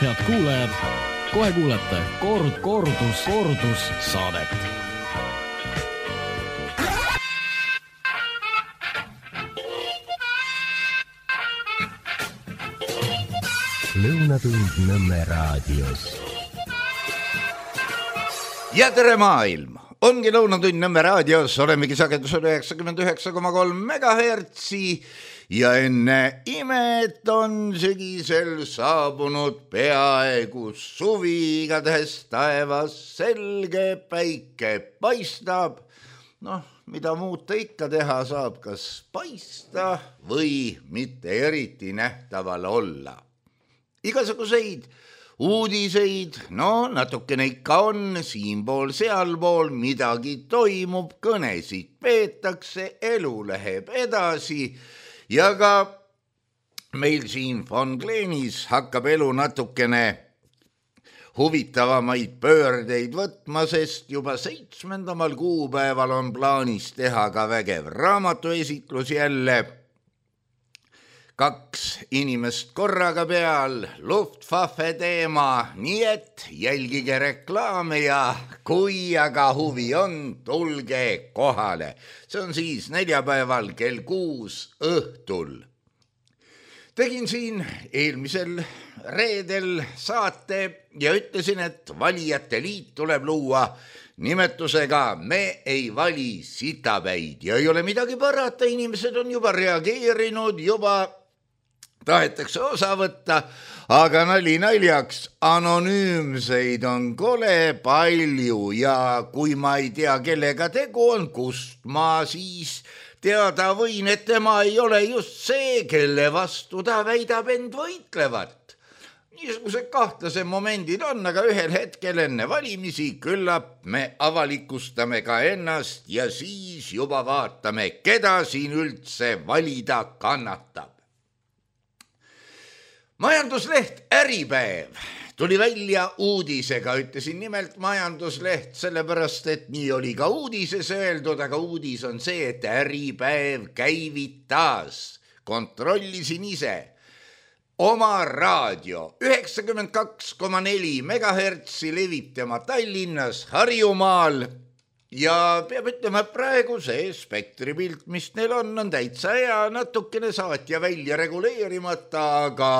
Head kuulajad, kohe kuulete kordus saadet. Lõunatund Nõmme raadios. Ja tere maailm! Ongi Lõunatund Nõmme raadios, olemegi sagedusel 99,3 MHz ja enne imet on sügisel saabunud peaaegu suvi, igatahes taevas selge, päike paistab. Mida muud ta ikka teha saab, kas paista või mitte eriti nähtaval olla. Igasuguseid uudiseid, natukene ikka on, siinpool, sealpool midagi toimub, kõnesid peetakse, elu läheb edasi ja ka meil siin Von Gleenis hakkab elu natukene huvitavamaid pöördeid võtma, sest juba 7. kuupäeval on plaanis teha ka vägev raamatuesitlus jälle. 2 inimest korraga peal, Luftwaffe teema, nii et jälgige reklaame ja kui aga huvi on, tulge kohale. See on siis neljapäeval kell 6 õhtul. Tegin siin eelmisel reedel saate ja ütlesin, et valijate liit tuleb luua nimetusega Me ei vali sitapäid ja ei ole midagi parata, inimesed on juba reageerinud, juba tahetakse osa võtta, aga nali naljaks, anonüümseid on kole palju ja kui ma ei tea, kellega tegu on, kust ma siis teada võin, et tema ei ole just see, kelle vastu ta väidab end võitlevat. Niisugused kahtlase momendid on, aga ühel hetkel enne valimisi küllap me avalikustame ka ennast ja siis juba vaatame, keda siin üldse valida kannatab. Majandusleht Äripäev tuli välja uudisega, ütlesin nimelt majandusleht, sellepärast, et nii oli ka uudises öeldud, aga uudis on see, et Äripäev käivitas, kontrollisin ise, oma raadio 92,4 MHz levib tema Tallinnas, Harjumaal ja peab ütlema, et praegu see spektripilt, mis neil on täitsa hea, natukene saatja välja reguleerimata, aga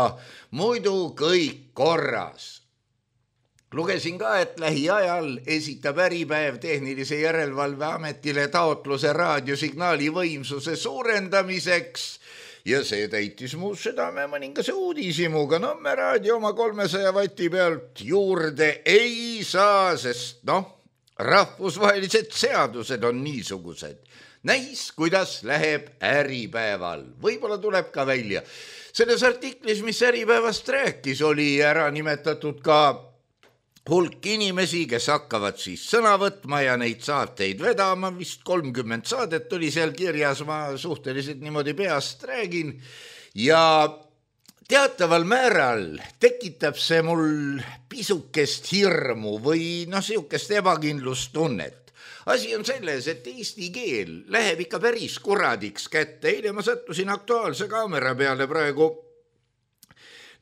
muidu kõik korras. Lugesin ka, et lähiajal esitab Äripäev Tehnilise Järelevalve Ametile taotluse raadiosignaali võimsuse suurendamiseks ja see täitis mu südame mõningase uudishimuga. Me raadio oma 300 vati pealt juurde ei saa, sest rahvusvahelised seadused on niisugused. Näis, kuidas läheb Äripäeval. Võib-olla tuleb ka välja. Selles artiklis, mis Äripäevast rääkis, oli ära nimetatud ka hulk inimesi, kes hakkavad siis sõna võtma ja neid saateid vedama. Vist 30 saadet oli seal kirjas, ma suhteliselt niimoodi peast räägin. Ja teataval määral tekitab see mul pisukest hirmu või sihukest ebakindlustunnet. Asi on selles, et eesti keel läheb ikka päris kuradiks kätte. Eile ma sattusin Aktuaalse kaamera peale, praegu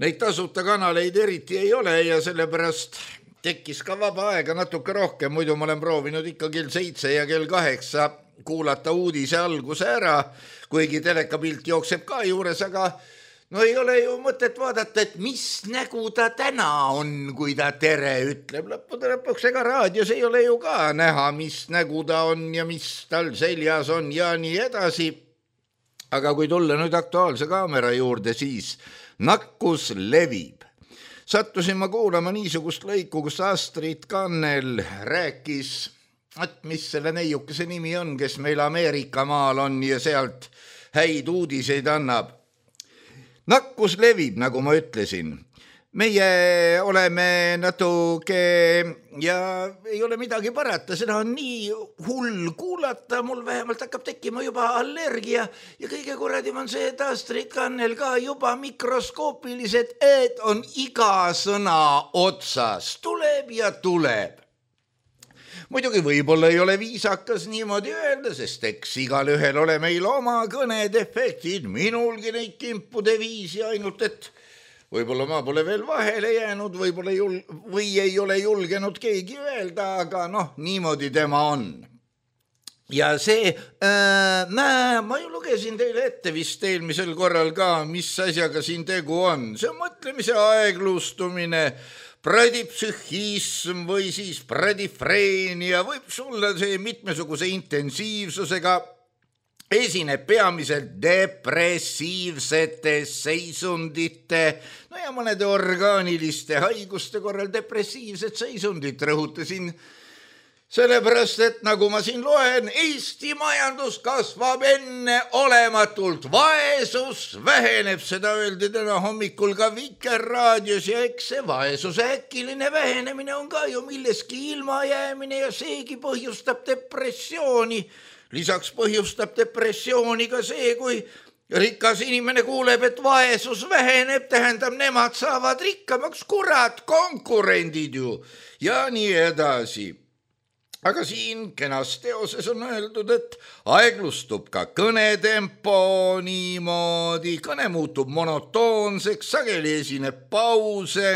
neid tasuta kanaleid eriti ei ole ja sellepärast tekkis ka vaba aega natuke rohkem. Muidu ma olen proovinud ikka kell 7 ja kell 8 kuulata uudise alguse ära, kuigi telekapilt jookseb ka juures, aga ei ole ju mõtet vaadata, et mis nägu ta täna on, kui ta tere ütleb. Lõppude lõpuks, ega raadios ei ole ju ka näha, mis nägu ta on ja mis tal seljas on ja nii edasi. Aga kui tulla nüüd Aktuaalse kaamera juurde, siis nakkus levib. Sattusin ma kuulama niisugust lõiku, kus Astrid Kannel rääkis, et mis selle neiukese nimi on, kes meil Ameerika maal on ja sealt häid uudiseid annab. Nakkus levib, nagu ma ütlesin. Meie oleme natuke ja ei ole midagi parata, seda on nii hull kuulata, mul vähemalt hakkab tekkima juba allergia ja kõige kuradim on see, et Astrid Kannel ka juba mikroskoopilised, et on iga sõna otsas, tuleb ja tuleb. Muidugi võib-olla ei ole viisakas niimoodi öelda, sest eks igal ühel ole meil oma kõned, efektid, minulgi neid kimpude viisi, ainult et võib-olla ma pole veel vahele jäänud, või ei ole julgenud keegi öelda, aga niimoodi tema on. Ja see, ma ju lugesin teile ette vist eelmisel korral ka, mis asjaga siin tegu on. See on mõtlemise aeglustumine, pradipsühhism või siis pradifreenia, võib sulle see mitmesuguse intensiivsusega, esineb peamiselt depressiivsete seisundite, ja mõnede orgaaniliste haiguste korral depressiivset seisundit rõhutasin, sellepärast, et nagu ma siin loen, Eesti majandus kasvab enneolematult, vaesus väheneb, seda öeldi täna hommikul ka Vikerraadios ja eks see vaesuse äkiline vähenemine on ka ju milleski ilmajäämine ja seegi põhjustab depressiooni. Lisaks põhjustab depressiooni ka see, kui rikas inimene kuuleb, et vaesus väheneb, tähendab, nemad saavad rikkamaks, kurat, konkurendid ju ja nii edasi. Aga siin kenas teoses on öeldud, et aeglustub ka kõnetempo niimoodi, kõne muutub monotoonseks, sageli esineb pause,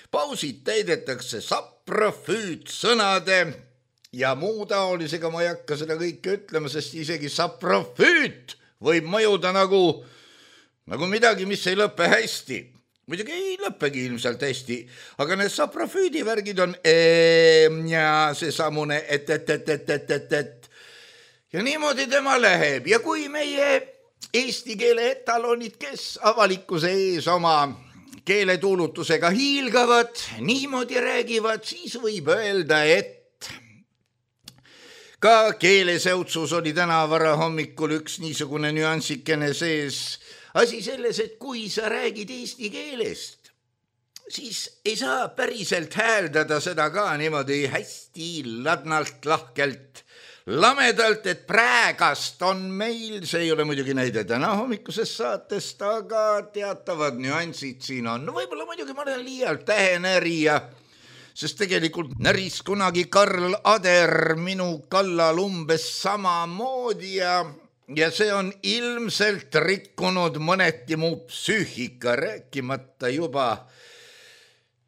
pausid täidetakse saprofüütsõnade ja muu taolisega. Ma ei hakka seda kõike ütlema, sest isegi saprofüüt võib mõjuda nagu midagi, mis ei lõpe hästi. Muidugi ei lõppegi ilmselt hästi, aga need saprofüüdi värgid on ja seesamune et. Ja niimoodi tema läheb. Ja kui meie eesti keele etalonid, kes avalikkuse ees oma keeletuulutusega hiilgavad, niimoodi räägivad, siis võib öelda, et ka keeleseutsus oli täna varahommikul üks niisugune nüansikene sees. Asi selles, et kui sa räägid eesti keelest, siis ei saa päriselt hääldada seda ka niimoodi hästi ladnalt, lahkelt, lamedalt, et praegast on meil, see ei ole muidugi näide täna hommikusest saatest, aga teatavad nüansid siin on. Võib-olla muidugi ma olen liialt tähenärija, sest tegelikult näris kunagi Karl Ader minu kallal umbes samamoodi ja see on ilmselt rikkunud mõneti mu psüühika, rääkimata juba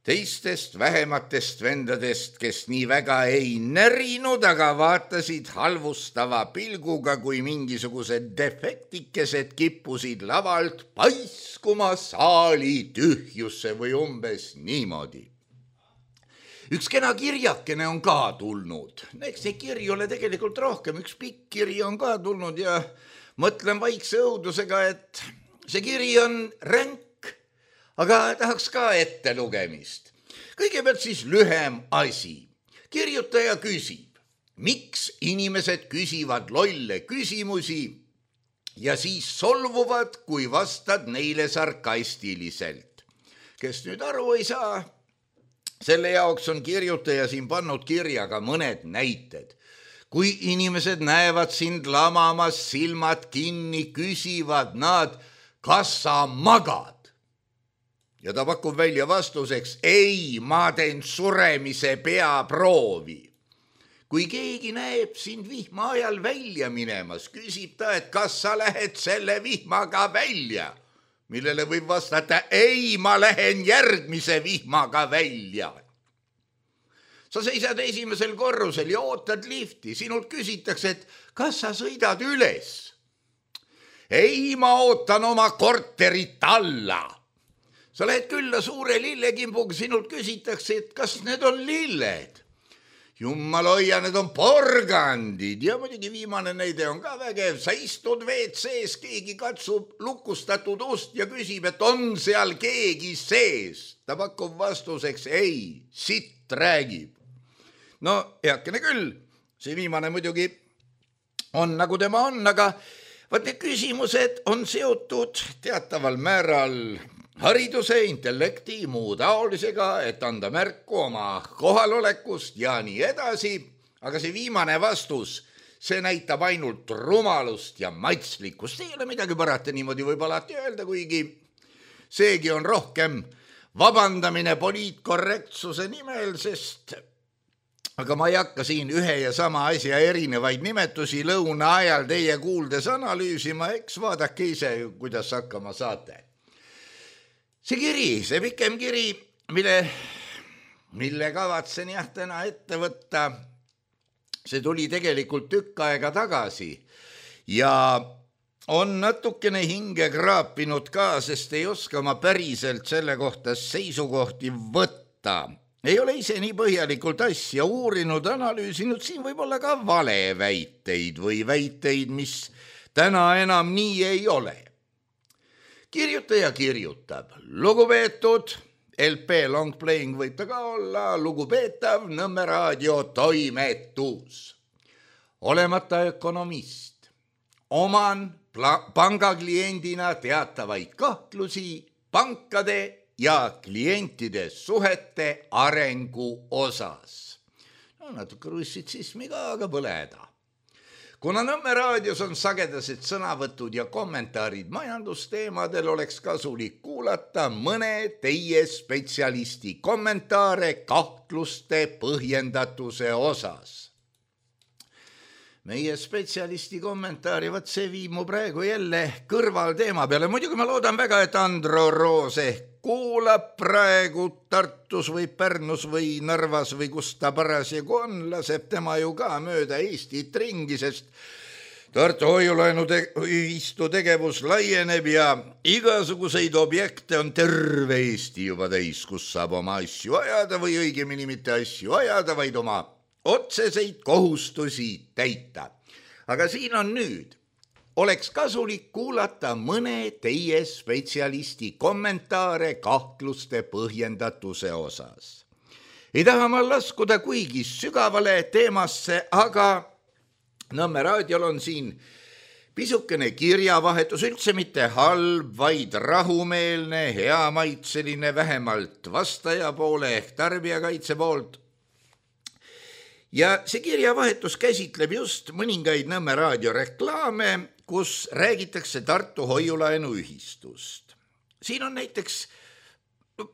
teistest vähematest vendadest, kes nii väga ei närinud, aga vaatasid halvustava pilguga, kui mingisugused defektikesed kippusid lavalt paiskuma saali tühjusse või umbes niimoodi. Üks kena kirjakene on ka tulnud. Eks neid kirju ole tegelikult rohkem. Üks pikk kiri on ka tulnud ja mõtlen vaikse õudusega, et see kiri on ränk, aga tahaks ka ette lugemist. Kõigepealt siis lühem asi. Kirjutaja küsib, miks inimesed küsivad lolle küsimusi ja siis solvuvad, kui vastad neile sarkastiliselt. Kes nüüd aru ei saa, selle jaoks on kirjutaja siin pannud kirjaga mõned näited. Kui inimesed näevad sind lamamas, silmad kinni, küsivad nad, kas sa magad? Ja ta pakub välja vastuseks, ei, ma teen suremise peaproovi. Kui keegi näeb sind vihma ajal välja minemas, küsib ta, et kas sa lähed selle vihmaga välja? Millele võib vastata, ei, ma lähen järgmise vihmaga välja. Sa seisad esimesel korrusel ja ootad lifti. Sinult küsitakse, et kas sa sõidad üles? Ei, ma ootan oma korterit alla. Sa lähed külla suure lillekimbuga, sinult küsitakse, et kas need on lilled? Jummal hoia, need on porgandid. Ja muidugi viimane näide on ka vägev. Sa istud WC-s, keegi katsub lukustatud ust ja küsib, et on seal keegi sees. Ta pakub vastuseks, ei, sitt räägib. No, heakene küll. See viimane muidugi on nagu tema on, aga vaat need küsimused on seotud teataval määral hariduse, intellekti, muu taolisega, et anda märku oma kohalolekust ja nii edasi. Aga see viimane vastus, see näitab ainult rumalust ja matslikkust. Ei ole midagi parata, niimoodi võib alati öelda, kuigi seegi on rohkem vabandamine poliitkorrektsuse nimel, sest aga ma ei hakka siin ühe ja sama asja erinevaid nimetusi lõuna ajal teie kuuldes analüüsima, eks vaadake ise, kuidas hakkama saate. see kiri, see pikem kiri, mille kavatsen täna ette võtta, see tuli tegelikult tükk aega tagasi ja on natukene hinge kraapinud ka, sest ei oska ma päriselt selle kohta seisukohti võtta. Ei ole ise nii põhjalikult asja uurinud, analüüsinud, siin võib olla ka valeväiteid või väiteid, mis täna enam nii ei ole. Kirjutaja kirjutab, lugupeetud LP Long Playing võib ta ka olla, lugupeetav Nõmme raadio toimetus. Olemata ökonomist, oman pangakliendina teatavaid kahtlusi pankade ja klientide suhete arengu osas. No, natuke russitsismi ka, aga pole häda. Kuna Nõmme raadios on sagedased sõnavõtud ja kommentaarid majandusteemadel, oleks kasulik kuulata mõne teie spetsialisti kommentaare kahtluste põhjendatuse osas. Meie spetsialisti kommentaari, võt see viib mu praegu jälle kõrval teema peale. Muidugi ma loodan väga, et Andro Roos kuulab praegu Tartus või Pärnus või Narvas või kus ta parasjagu on, laseb tema ju ka mööda Eestit ringi, sest Tartu hoiulaenuühistu tegevus laieneb ja igasuguseid objekte on terve Eesti juba täis, kus saab oma asju ajada või õigemini mitte asju ajada, vaid oma otseseid kohustusi täita. Aga siin on nüüd. Oleks kasulik kuulata mõne teie spetsialisti kommentaare kahtluste põhjendatuse osas. Ei taha ma laskuda kuigi sügavale teemasse, aga Nõmme raadiol on siin pisukene kirjavahetus, üldse mitte halb, vaid rahumeelne, heamaitseline, vähemalt vastaja poole ehk tarbijakaitse poolt. Ja see kirjavahetus käsitleb just mõningaid Nõmme raadio reklaame, kus räägitakse Tartu hoiulaenuühistust. Siin on näiteks,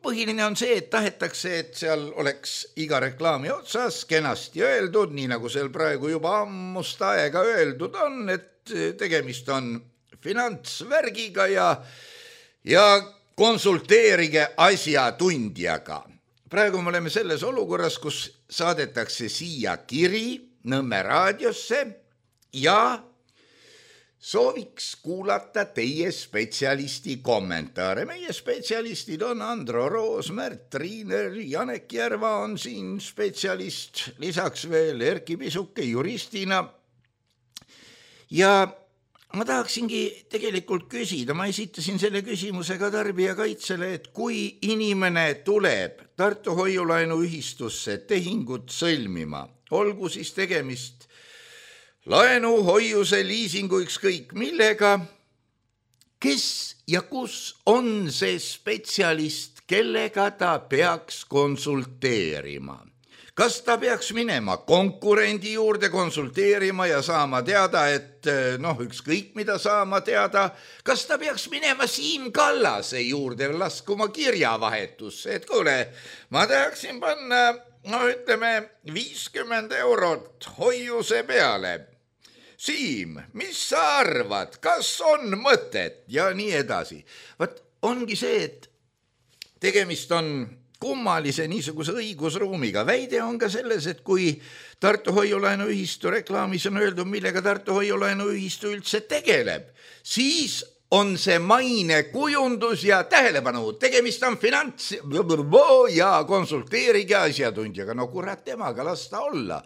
põhiline on see, et tahetakse, et seal oleks iga reklaami otsas kenasti öeldud, nii nagu seal praegu juba ammust aega öeldud on, et tegemist on finantsvärgiga ja konsulteerige asjatundjaga. Praegu me oleme selles olukorras, kus saadetakse siia kiri Nõmme raadiosse ja sooviks kuulata teie spetsialisti kommentaare. Meie spetsialistid on Andro Roos, Märt Triiner, Janek Järva on siin spetsialist, lisaks veel Erki Pisuke juristina. Ja ma tahaksingi tegelikult küsida, ma esitasin selle küsimuse ka tarbijakaitsele, et kui inimene tuleb Tartu hoiulaenuühistusse tehingut sõlmima, olgu siis tegemist laenu, hoiuse, liisingu, ükskõik millega, kes ja kus on see spetsialist, kellega ta peaks konsulteerima? Kas ta peaks minema konkurendi juurde konsulteerima ja saama teada, et ükskõik mida saama teada, kas ta peaks minema Siim Kallase juurde laskuma kirjavahetusse, et kuule, ma tahaksin panna, 50 eurot hoiuse peale. Siim, mis sa arvad, kas on mõtet ja nii edasi? Vaat ongi see, et tegemist on kummalise niisuguse õigusruumiga. Väide on ka selles, et kui Tartu hoiulaenuühistu reklaamis on öeldud, millega Tartu hoiulaenuühistu üldse tegeleb, siis on see maine kujundus ja tähelepanu. Tegemist on finants ja konsulteerige asjatundjaga. No kurat temaga, las ta olla.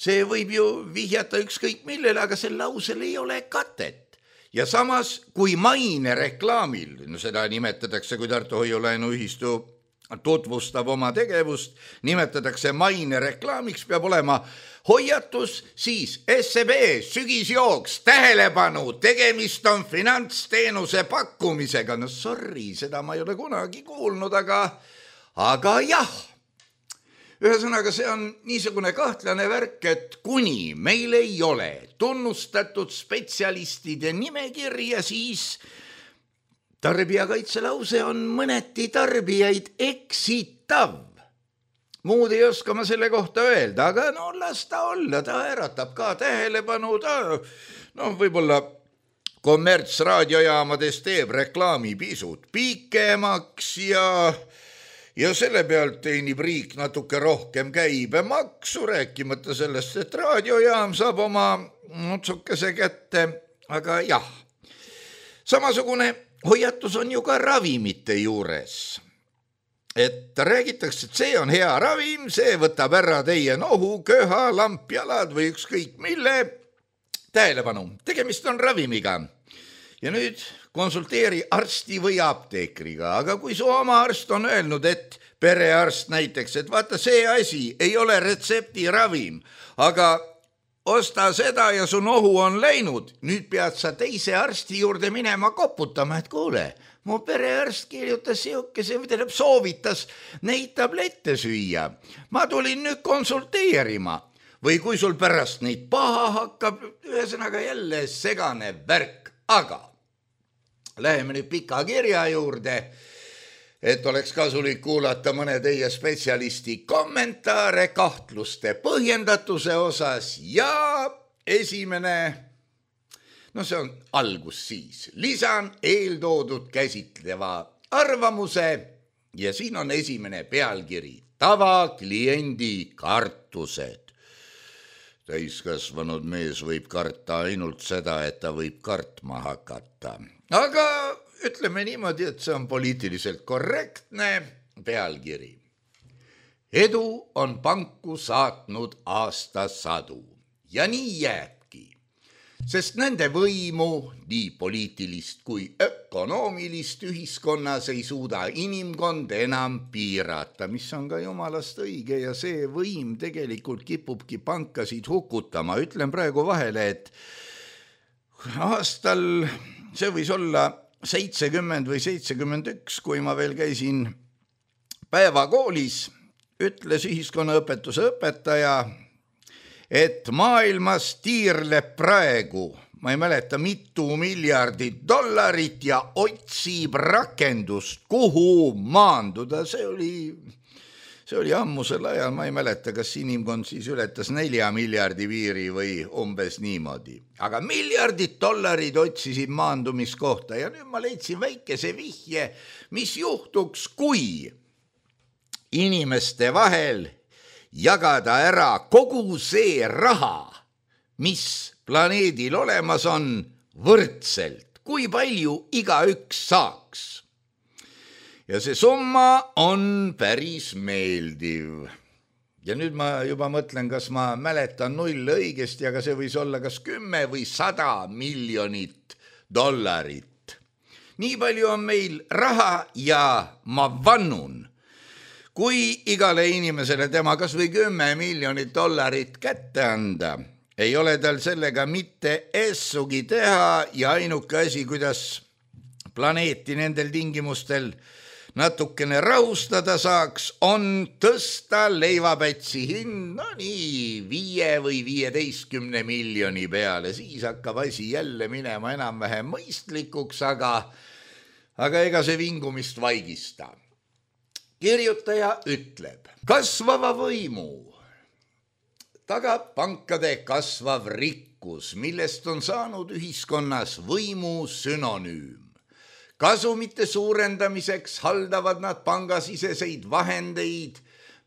See võib ju vihjata ükskõik millele, aga sel lausel ei ole katet. Ja samas, kui maine reklaamil, seda nimetatakse, kui Tartu hoiulaenuühistu tutvustab oma tegevust, nimetatakse maine reklaamiks, peab olema hoiatus, siis SEB, sügisjooks, tähelepanu, tegemist on finantsteenuse pakkumisega. No sorry, seda ma ei ole kunagi kuulnud, aga jah. Ühesõnaga, see on niisugune kahtlane värk, et kuni meil ei ole tunnustatud spetsialistide nimekirja, siis tarbijakaitse lause on mõneti tarbijaid eksitav. Muud ei oska ma selle kohta öelda, aga las ta olla, ta äratab ka tähelepanu, ta võib-olla kommertsraadiojaamades teeb reklaami pisut pikemaks ja selle pealt teenib riik natuke rohkem käibemaksu, rääkimata sellest, et raadiojaam saab oma otsukese kätte, aga jah. Samasugune hoiatus on ju ka ravimite juures. Et räägitakse, et see on hea ravim, see võtab ära teie nohu, köha, lampjalad või ükskõik mille. Tähelepanu, tegemist on ravimiga. Ja nüüd konsulteeri arsti või apteekriga, aga kui su oma arst on öelnud, et perearst näiteks, et vaata see asi ei ole retseptiravim, aga osta seda ja su nohu on läinud, nüüd pead sa teise arsti juurde minema koputama, et kuule, mu perearst kirjutas soovitas neid tablette süüa. Ma tulin nüüd konsulteerima või kui sul pärast neid paha hakkab, ühesõnaga jälle segane värk, aga läheme nüüd pika kirja juurde, et oleks kasulik kuulata mõne teie spetsialisti kommentaare kahtluste põhjendatuse osas ja esimene, see on algus siis. Lisan eeltoodud käsitleva arvamuse ja siin on esimene pealkiri. Tavakliendi kartused. Täiskasvanud mees võib karta ainult seda, et ta võib kartma hakata. Aga ütleme niimoodi, et see on poliitiliselt korrektne pealkiri. Edu on panku saatnud aastasadu ja nii jääbki, sest nende võimu, nii poliitilist kui ökonoomilist ühiskonnas ei suuda inimkond enam piirata, mis on ka jumalast õige ja see võim tegelikult kipubki pankasid hukutama. Ütlen praegu vahele, et aastal see võis olla 70 või 71, kui ma veel käisin päevakoolis, ütles ühiskonnaõpetuse õpetaja, et maailmas tiirleb praegu, ma ei mäleta, mitu miljardit dollarit ja otsib rakendust, kuhu maanduda. See oli ammusel ajal, ma ei mäleta, kas inimkond siis ületas 4 miljardi piiri või umbes niimoodi. Aga miljardid dollarid otsisid maandumiskohta ja nüüd ma leidsin väikese vihje, mis juhtuks, kui inimeste vahel jagada ära kogu see raha, mis planeedil olemas on, võrdselt, kui palju igaüks saaks. Ja see summa on päris meeldiv. Ja nüüd ma juba mõtlen, kas ma mäletan null õigesti, aga see võis olla kas 10 või 100 miljonit dollarit. Nii palju on meil raha ja ma vannun, kui igale inimesele tema kas või 10 miljonit dollarit kätte anda, ei ole tal sellega mitte essugi teha ja ainuke asi, kuidas planeeti nendel tingimustel natukene rahustada saaks, on tõsta leivapätsi hind, nii 5 või 15 miljoni peale. Siis hakkab asi jälle minema enam-vähem mõistlikuks, aga ega see vingumist vaigista. Kirjutaja ütleb, kasvava võimu tagab pankade kasvav rikkus, millest on saanud ühiskonnas võimu sünonüüm. Kasumite suurendamiseks haldavad nad pangasiseseid vahendeid,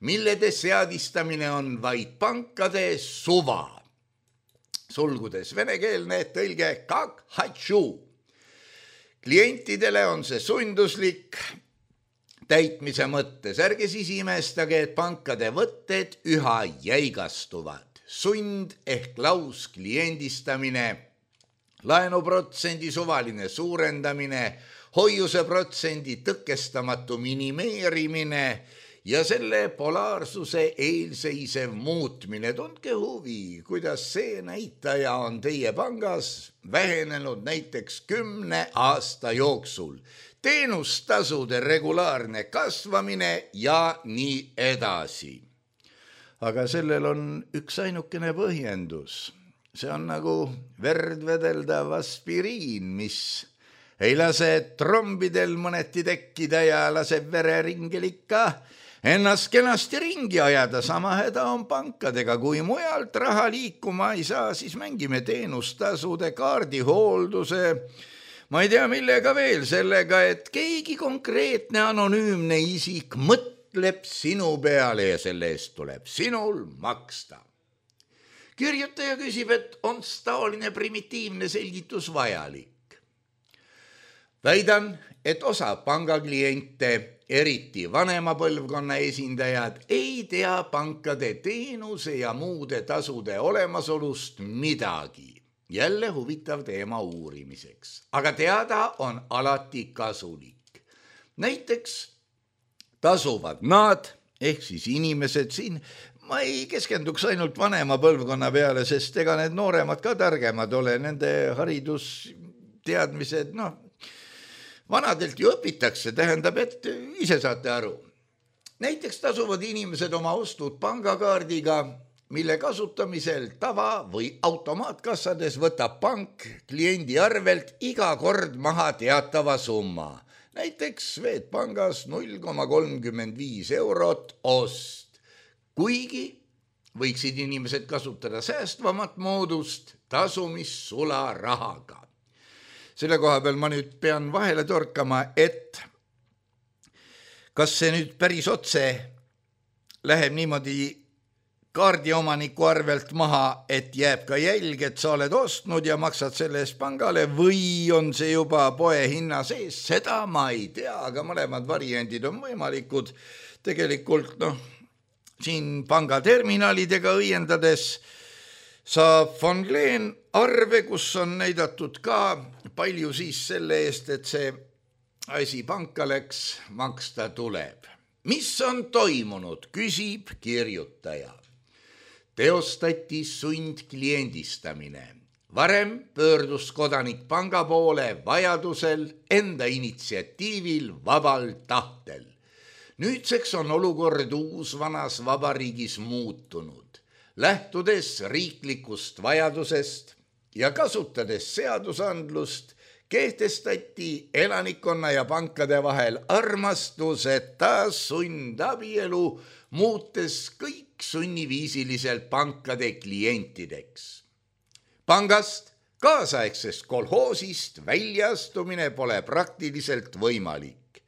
millede seadistamine on vaid pankade suva. Sulgudes venekeelne tõlge kak hatšu. Klientidele on see sunduslik täitmise mõttes. Ärge siis imestage, et pankade võtted üha jäigastuvad. Sund ehk laus kliendistamine, laenuprotsendi suvaline suurendamine, hoiuseprotsendi tõkestamatu minimeerimine ja selle polaarsuse eelseisev muutmine. Tundke huvi, kuidas see näitaja on teie pangas vähenenud näiteks 10 aasta jooksul. Teenustasude regulaarne kasvamine ja nii edasi. Aga sellel on üks ainukene põhjendus. See on nagu verd vedeldav aspiriin, mis ei lase trombidel mõneti tekkida ja laseb vereringel ikka ennast kenasti ringi ajada, sama häda on pankadega. Kui mujalt raha liikuma ei saa, siis mängime teenustasude, kaardihoolduse, ma ei tea millega veel, sellega, et keegi konkreetne anonüümne isik mõtleb sinu peale ja selle eest tuleb sinul maksta. Kirjutaja küsib, et on taoline primitiivne selgitus vajalik. Väidan, et osa pangakliente, eriti vanema põlvkonna esindajad, ei tea pankade teenuse ja muude tasude olemasolust midagi. Jälle huvitav teema uurimiseks, aga teada on alati kasulik. Näiteks tasuvad nad, ehk siis inimesed siin, ma ei keskenduks ainult vanema põlvkonna peale, sest ega need nooremad ka targemad ole, nende haridusteadmised, vanadelt ju õpitakse, tähendab, et ise saate aru. Näiteks tasuvad inimesed oma ostud pangakaardiga, mille kasutamisel tava- või automaatkassades võtab pank kliendi arvelt iga kord maha teatava summa. Näiteks Swedbankis 0,35 eurot ost. Kuigi võiksid inimesed kasutada säästvamat moodust tasumissularahaga. Selle koha peal ma nüüd pean vahele torkama, et kas see nüüd päris otse läheb niimoodi kaardiomaniku arvelt maha, et jääb ka jälg, et sa oled ostnud ja maksad selle eest pangale, või on see juba poe hinna sees, seda ma ei tea, aga mõlemad variandid on võimalikud. Tegelikult siin pangaterminalidega õiendades saab von Glen arve, kus on näidatud ka palju siis selle eest, et see asi panka läks, maksta tuleb. Mis on toimunud, küsib kirjutaja. Teostati sundkliendistamine. Varem pöördus kodanik panga poole vajadusel, enda initsiatiivil, vabal tahtel. Nüüdseks on olukord uusvanas vabariigis muutunud. Lähtudes riiklikust vajadusest ja kasutades seadusandlust, kehtestati elanikkonna ja pankade vahel armastuseta sundabielu, muutes kõik sunniviisiliselt pankade klientideks. Pangast, kaasaegsest kolhoosist väljastumine pole praktiliselt võimalik.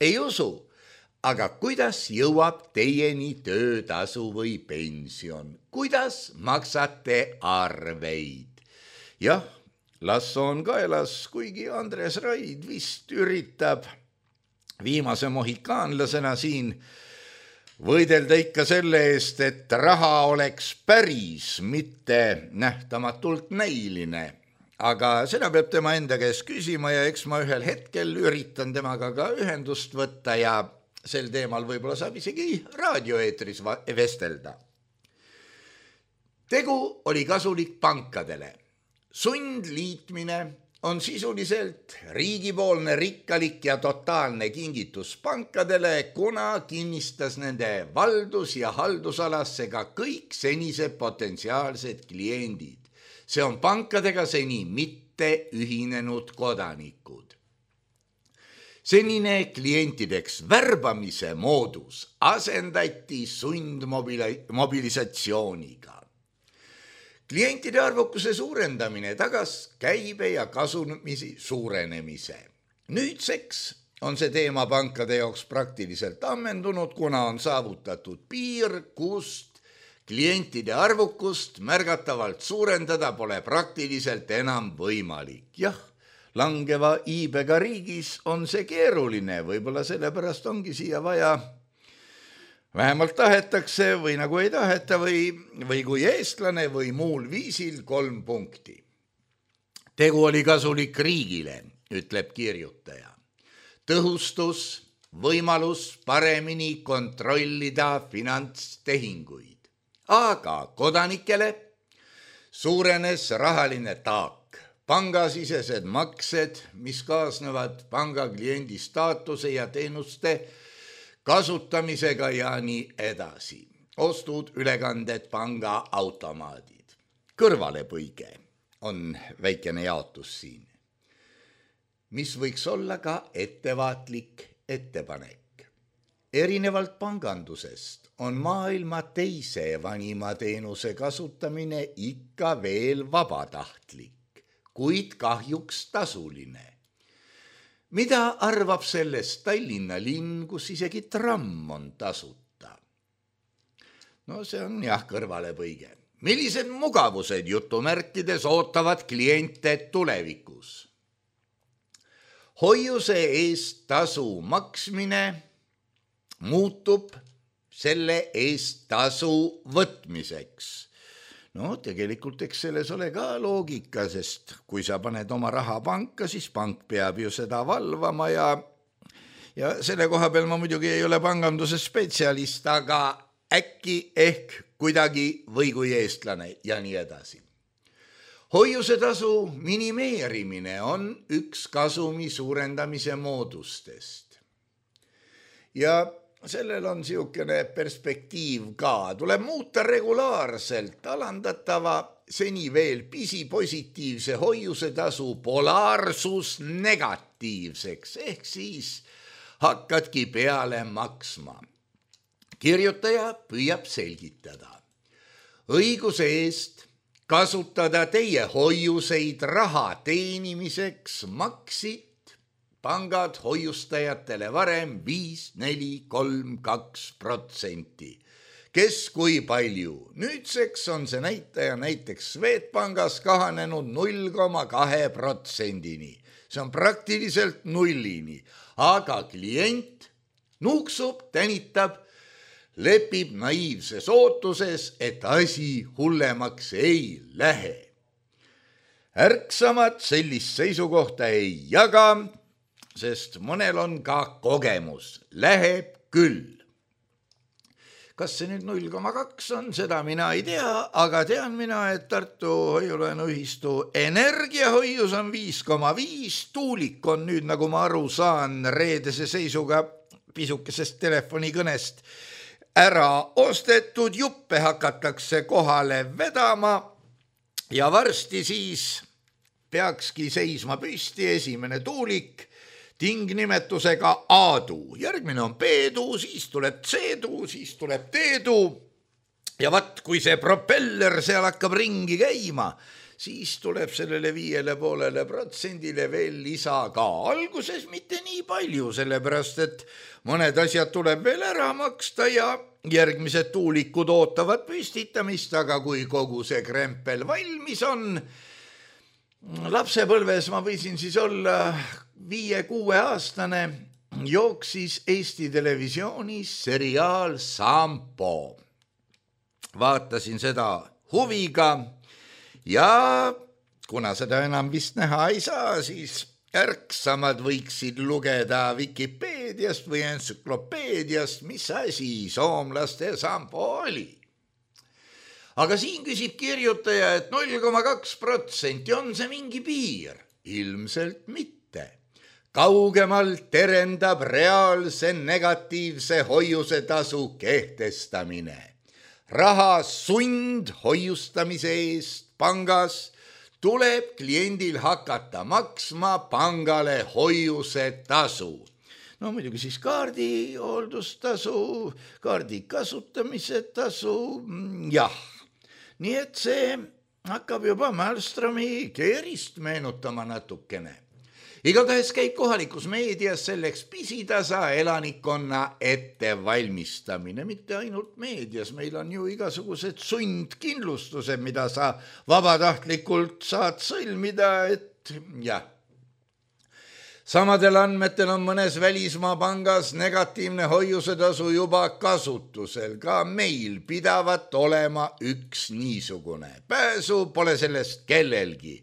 Ei usu, aga kuidas jõuab teieni töötasu või pension? Kuidas maksate arveid? Jah, lasso on kaelas, kuigi Andres Raid vist üritab viimase mohikaanlasena siin võidelda ikka selle eest, et raha oleks päris, mitte nähtamatult näiline. Aga seda peab tema enda käest küsima ja eks ma ühel hetkel üritan temaga ka ühendust võtta ja sel teemal võib-olla saab isegi raadioeetris vestelda. Tegu oli kasulik pankadele. Sundliitmine on sisuliselt riigipoolne rikkalik ja totaalne kingitus pankadele, kuna kinnistas nende valdus- ja haldusalasse ka kõik senised potentsiaalsed kliendid. See on pankadega seni mitte ühinenud kodanikud. Senine klientideks värbamise moodus asendati sundmobilisatsiooniga. Klientide arvukuse suurendamine tagas käibe ja kasumisi suurenemise. Nüüdseks on see teema pankade jaoks praktiliselt ammendunud, kuna on saavutatud piir, kust klientide arvukust märgatavalt suurendada pole praktiliselt enam võimalik. Jah, langeva iibega riigis on see keeruline, võib-olla sellepärast ongi siia vaja vähemalt tahetakse või nagu ei taheta või kui eestlane või muul viisil 3 punkti. Tegu oli kasulik riigile, ütleb kirjutaja. Tõhustus, võimalus paremini kontrollida finantstehinguid. Aga kodanikele suurenes rahaline taak, pangasisesed maksed, mis kaasnevad panga kliendi staatuse ja teenuste kasutamisega ja nii edasi. Ostud, ülekanded, panga automaadid. Kõrvalepõige on väikene jaotus siin, mis võiks olla ka ettevaatlik ettepanek. erinevalt pangandusest on maailma teise vanima teenuse kasutamine ikka veel vabatahtlik, kuid kahjuks tasuline. Mida arvab sellest Tallinna linn, kus isegi tramm on tasuta? No see on jah kõrvalepõige. Millised mugavused jutumärkides ootavad kliente tulevikus? Hoiuse eest tasu maksmine muutub selle eest tasu võtmiseks. No tegelikult eks selles ole ka loogika, sest kui sa paned oma raha panka, siis pank peab ju seda valvama ja selle koha peal ma muidugi ei ole panganduse spetsialist, aga äkki ehk kuidagi või kui eestlane ja nii edasi. Hoiusetasu minimeerimine on üks kasumi suurendamise moodustest. Ja sellel on siukene perspektiiv ka. Tuleb muuta regulaarselt alandatava seni veel pisipositiivse hoiusetasu polaarsus negatiivseks, ehk siis hakkadki peale maksma. Kirjutaja püüab selgitada. Õiguse eest kasutada teie hoiuseid raha teenimiseks maksid pangad hoiustajatele varem 5, 4, 3, 2%. Kes kui palju? Nüüdseks on see näitaja näiteks Swedbankis kahanenud 0,2%-ni. See on praktiliselt nullini, aga klient nuuksub, tänitab, lepib naiivses ootuses, et asi hullemaks ei lähe. Ärksamad sellist seisukohta ei jaga, sest mõnel on ka kogemus. Läheb küll. Kas see nüüd 0,2 on, seda mina ei tea, aga tean mina, et Tartu hoiulaenuühistu energiahoius on 5,5. Tuulik on nüüd, nagu ma aru saan, reedese seisuga pisukesest telefonikõnest ära ostetud, juppe hakatakse kohale vedama ja varsti siis peakski seisma püsti esimene tuulik tingnimetusega A-tuu. Järgmine on B-tuu, siis tuleb C-tuu, siis tuleb D-tuu. Ja vaat, kui see propeller seal hakkab ringi käima, siis tuleb sellele 5,5% veel lisa ka. Alguses mitte nii palju, sellepärast et mõned asjad tuleb veel ära maksta ja järgmised tuulikud ootavad püstitamist, aga kui kogu see krempel valmis on, lapsepõlves ma võisin siis olla 5-6 aastane, jooksis Eesti Televisioonis seriaal Sampo. Vaatasin seda huviga ja kuna seda enam vist näha ei saa, siis ärksamad võiksid lugeda Wikipeediast või entsüklopeediast, mis asi soomlaste Sampo oli. Aga siin küsib kirjutaja, et 0,2% on see mingi piir. Ilmselt mitte. Kaugemalt terendab reaalse negatiivse hoiusetasu kehtestamine. Raha sund hoiustamise eest pangas tuleb kliendil hakata maksma pangale hoiusetasu. No muidugi siis kaardi hooldustasu, kaardi kasutamise tasu, jah. Nii et see hakkab juba Malmströmi keerist meenutama natukene. Igatahes käib kohalikus meedias selleks pisitasa elanikkonna ettevalmistamine, mitte ainult meedias, meil on ju igasugused sundkindlustused, mida sa vabatahtlikult saad sõlmida, et jah. Samadel andmetel on mõnes välismaa pangas negatiivne hoiusetasu juba kasutusel, ka meil pidavat olema üks niisugune. Pääsu pole sellest kellelgi.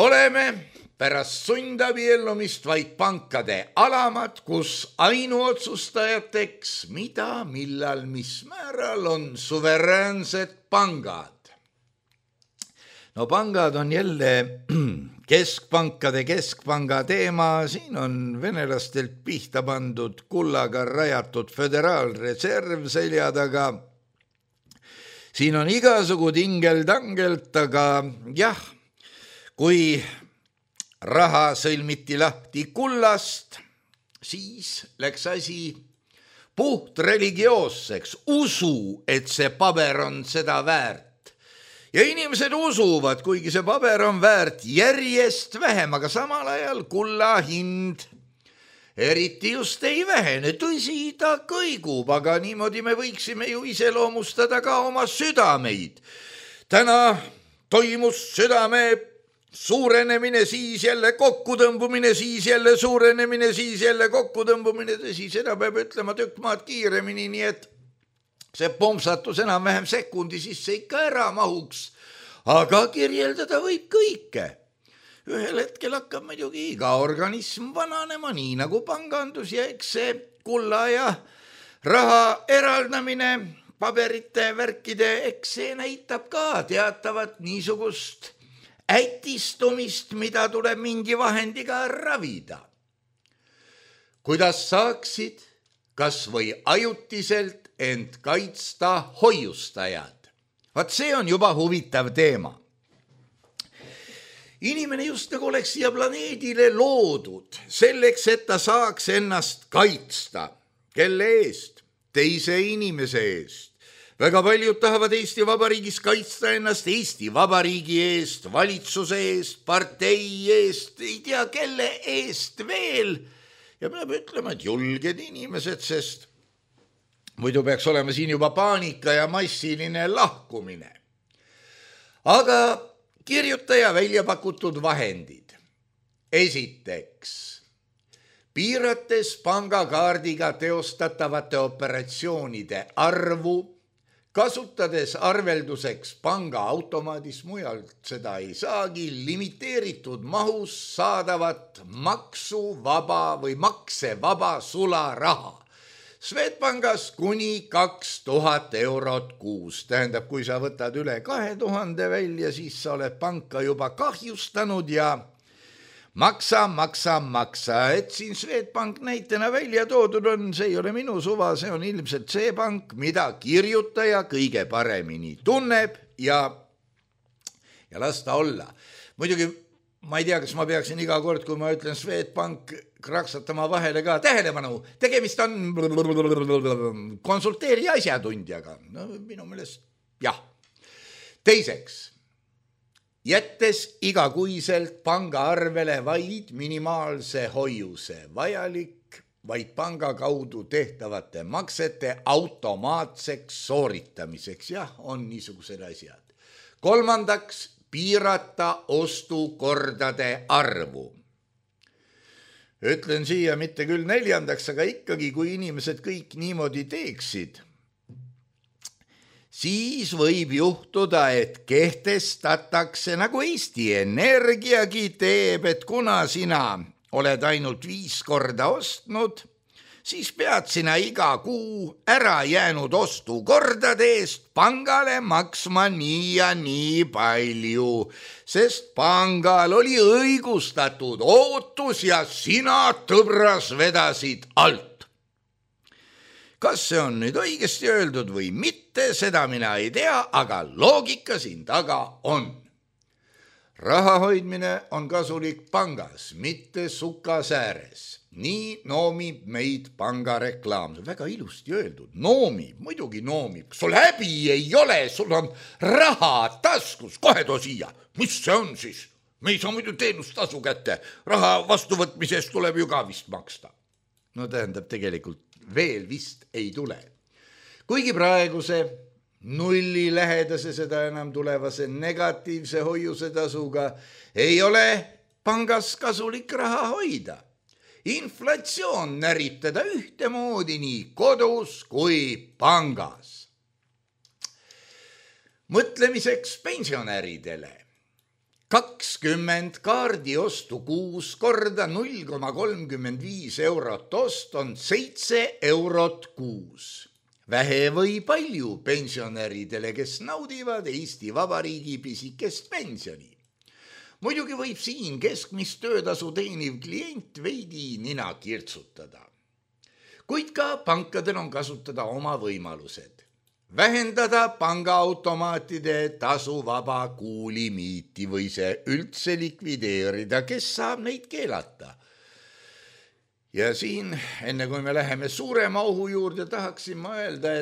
Oleme pärast sundabiellumist vaid pankade alamad, kus ainuotsustajateks, mida, millal, mis määral on suveräänsed pangad. No pangad on jälle keskpankade keskpanga teema, siin on venelastelt pihta pandud kullaga rajatud föderaalreserv selja taga. Siin on igasugu tingeldangelt, aga jah, kui raha sõlmiti lahti kullast, siis läks asi puht religioosseks, usu, et see paber on seda väärt. Ja inimesed usuvad, kuigi see paber on väärt järjest vähem, aga samal ajal kulla hind eriti just ei vähene. Tõsi, ta kõigub, aga niimoodi me võiksime ju iseloomustada ka oma südameid. Täna toimus südame suurenemine, siis jälle kokkutõmbumine, siis jälle suurenemine, siis jälle kokkutõmbumine. Tõsi, seda peab ütlema tükk maad kiiremini, nii et see pompsatus enam-vähem sekundi sisse ikka ära mahuks. Aga kirjeldada võib kõike. Ühel hetkel hakkab muidugi iga organism vananema, nii nagu pangandus, ja eks see kulla ja raha eraldamine, paberite, värkide, eks see näitab ka teatavat niisugust ätistumist, mida tuleb mingi vahendiga ravida. Kuidas saaksid kas või ajutiselt end kaitsta hoiustajad? Vaat see on juba huvitav teema. Inimene just nagu oleks siia planeedile loodud selleks, et ta saaks ennast kaitsta. Kelle eest? Teise inimese eest. Väga paljud tahavad Eesti Vabariigis kaitsta ennast Eesti Vabariigi eest, valitsuse eest, partei eest, ei tea kelle eest veel. Ja peab ütlema, et julged inimesed, sest muidu peaks olema siin juba paanika ja massiline lahkumine. Aga kirjutaja välja pakutud vahendid. Esiteks, piirates pangakaardiga teostatavate operatsioonide arvu, kasutades arvelduseks pangaautomaadis, mujalt seda ei saagi, limiteeritud mahus saadavat maksuvaba või maksevaba sularaha. Swedbankas kuni 2000 eurot kuus. Tähendab, kui sa võtad üle 2000 välja, siis sa oled panka juba kahjustanud ja maksa. Et siin Swedbank näitena välja toodud on, see ei ole minu suva, see on ilmselt see pank, mida kirjutaja kõige paremini tunneb ja las ta olla. Muidugi, ma ei tea, kas ma peaksin iga kord, kui ma ütlen Swedbank, kraksatama vahele ka. Tähelepanu, tegemist on konsulteeri asjatundjaga. No, minu meelest, jah. Teiseks, jättes igakuiselt pangaarvele vaid minimaalse hoiuse, vajalik vaid panga kaudu tehtavate maksete automaatseks sooritamiseks. Jah, on niisugused asjad. Kolmandaks, piirata ostukordade arvu. Ütlen siia mitte küll neljandaks, aga ikkagi, kui inimesed kõik niimoodi teeksid, siis võib juhtuda, et kehtestatakse, nagu Eesti Energiagi teeb, et kuna sina oled ainult 5 korda ostnud, siis pead sina iga kuu ära jäänud ostukordade eest pangale maksma nii ja nii palju, sest pangal oli õigustatud ootus ja sina tõbras vedasid alt. Kas see on nüüd õigesti öeldud või mitte, seda mina ei tea, aga loogika siin taga on. Raha hoidmine on kasulik pangas, mitte sukas ääres. Nii noomib meid pangareklaam. Väga ilusti öeldud. Noomib, muidugi noomib. Sul häbi ei ole, sul on raha taskus. Kohe too siia. Mis see on siis? Me ei saa muidu teenustasu kätte. Raha vastuvõtmisest tuleb ju ka vist maksta. No tähendab, tegelikult veel vist ei tule. Kuigi praeguse nulli lähedase, seda enam tulevase negatiivse hoiuse tasuga ei ole pangas kasulik raha hoida. Inflatsioon närib teda ühtemoodi nii kodus kui pangas. Mõtlemiseks pensionäridele. 20 kaardi ostu 6 korda 0,35 eurot ost on 7 eurot kuus. Vähe või palju pensionäridele, kes naudivad Eesti Vabariigi pisikest pensioni. Muidugi võib siin keskmist töötasu teeniv klient veidi nina kirtsutada. Kuid ka pankadel on kasutada oma võimalused. Vähendada pangaautomaatide tasuvaba kuulimiiti või see üldse likvideerida, kes saab neid keelata. Ja siin, enne kui me läheme suurema ohu juurde, tahaksin ma öelda,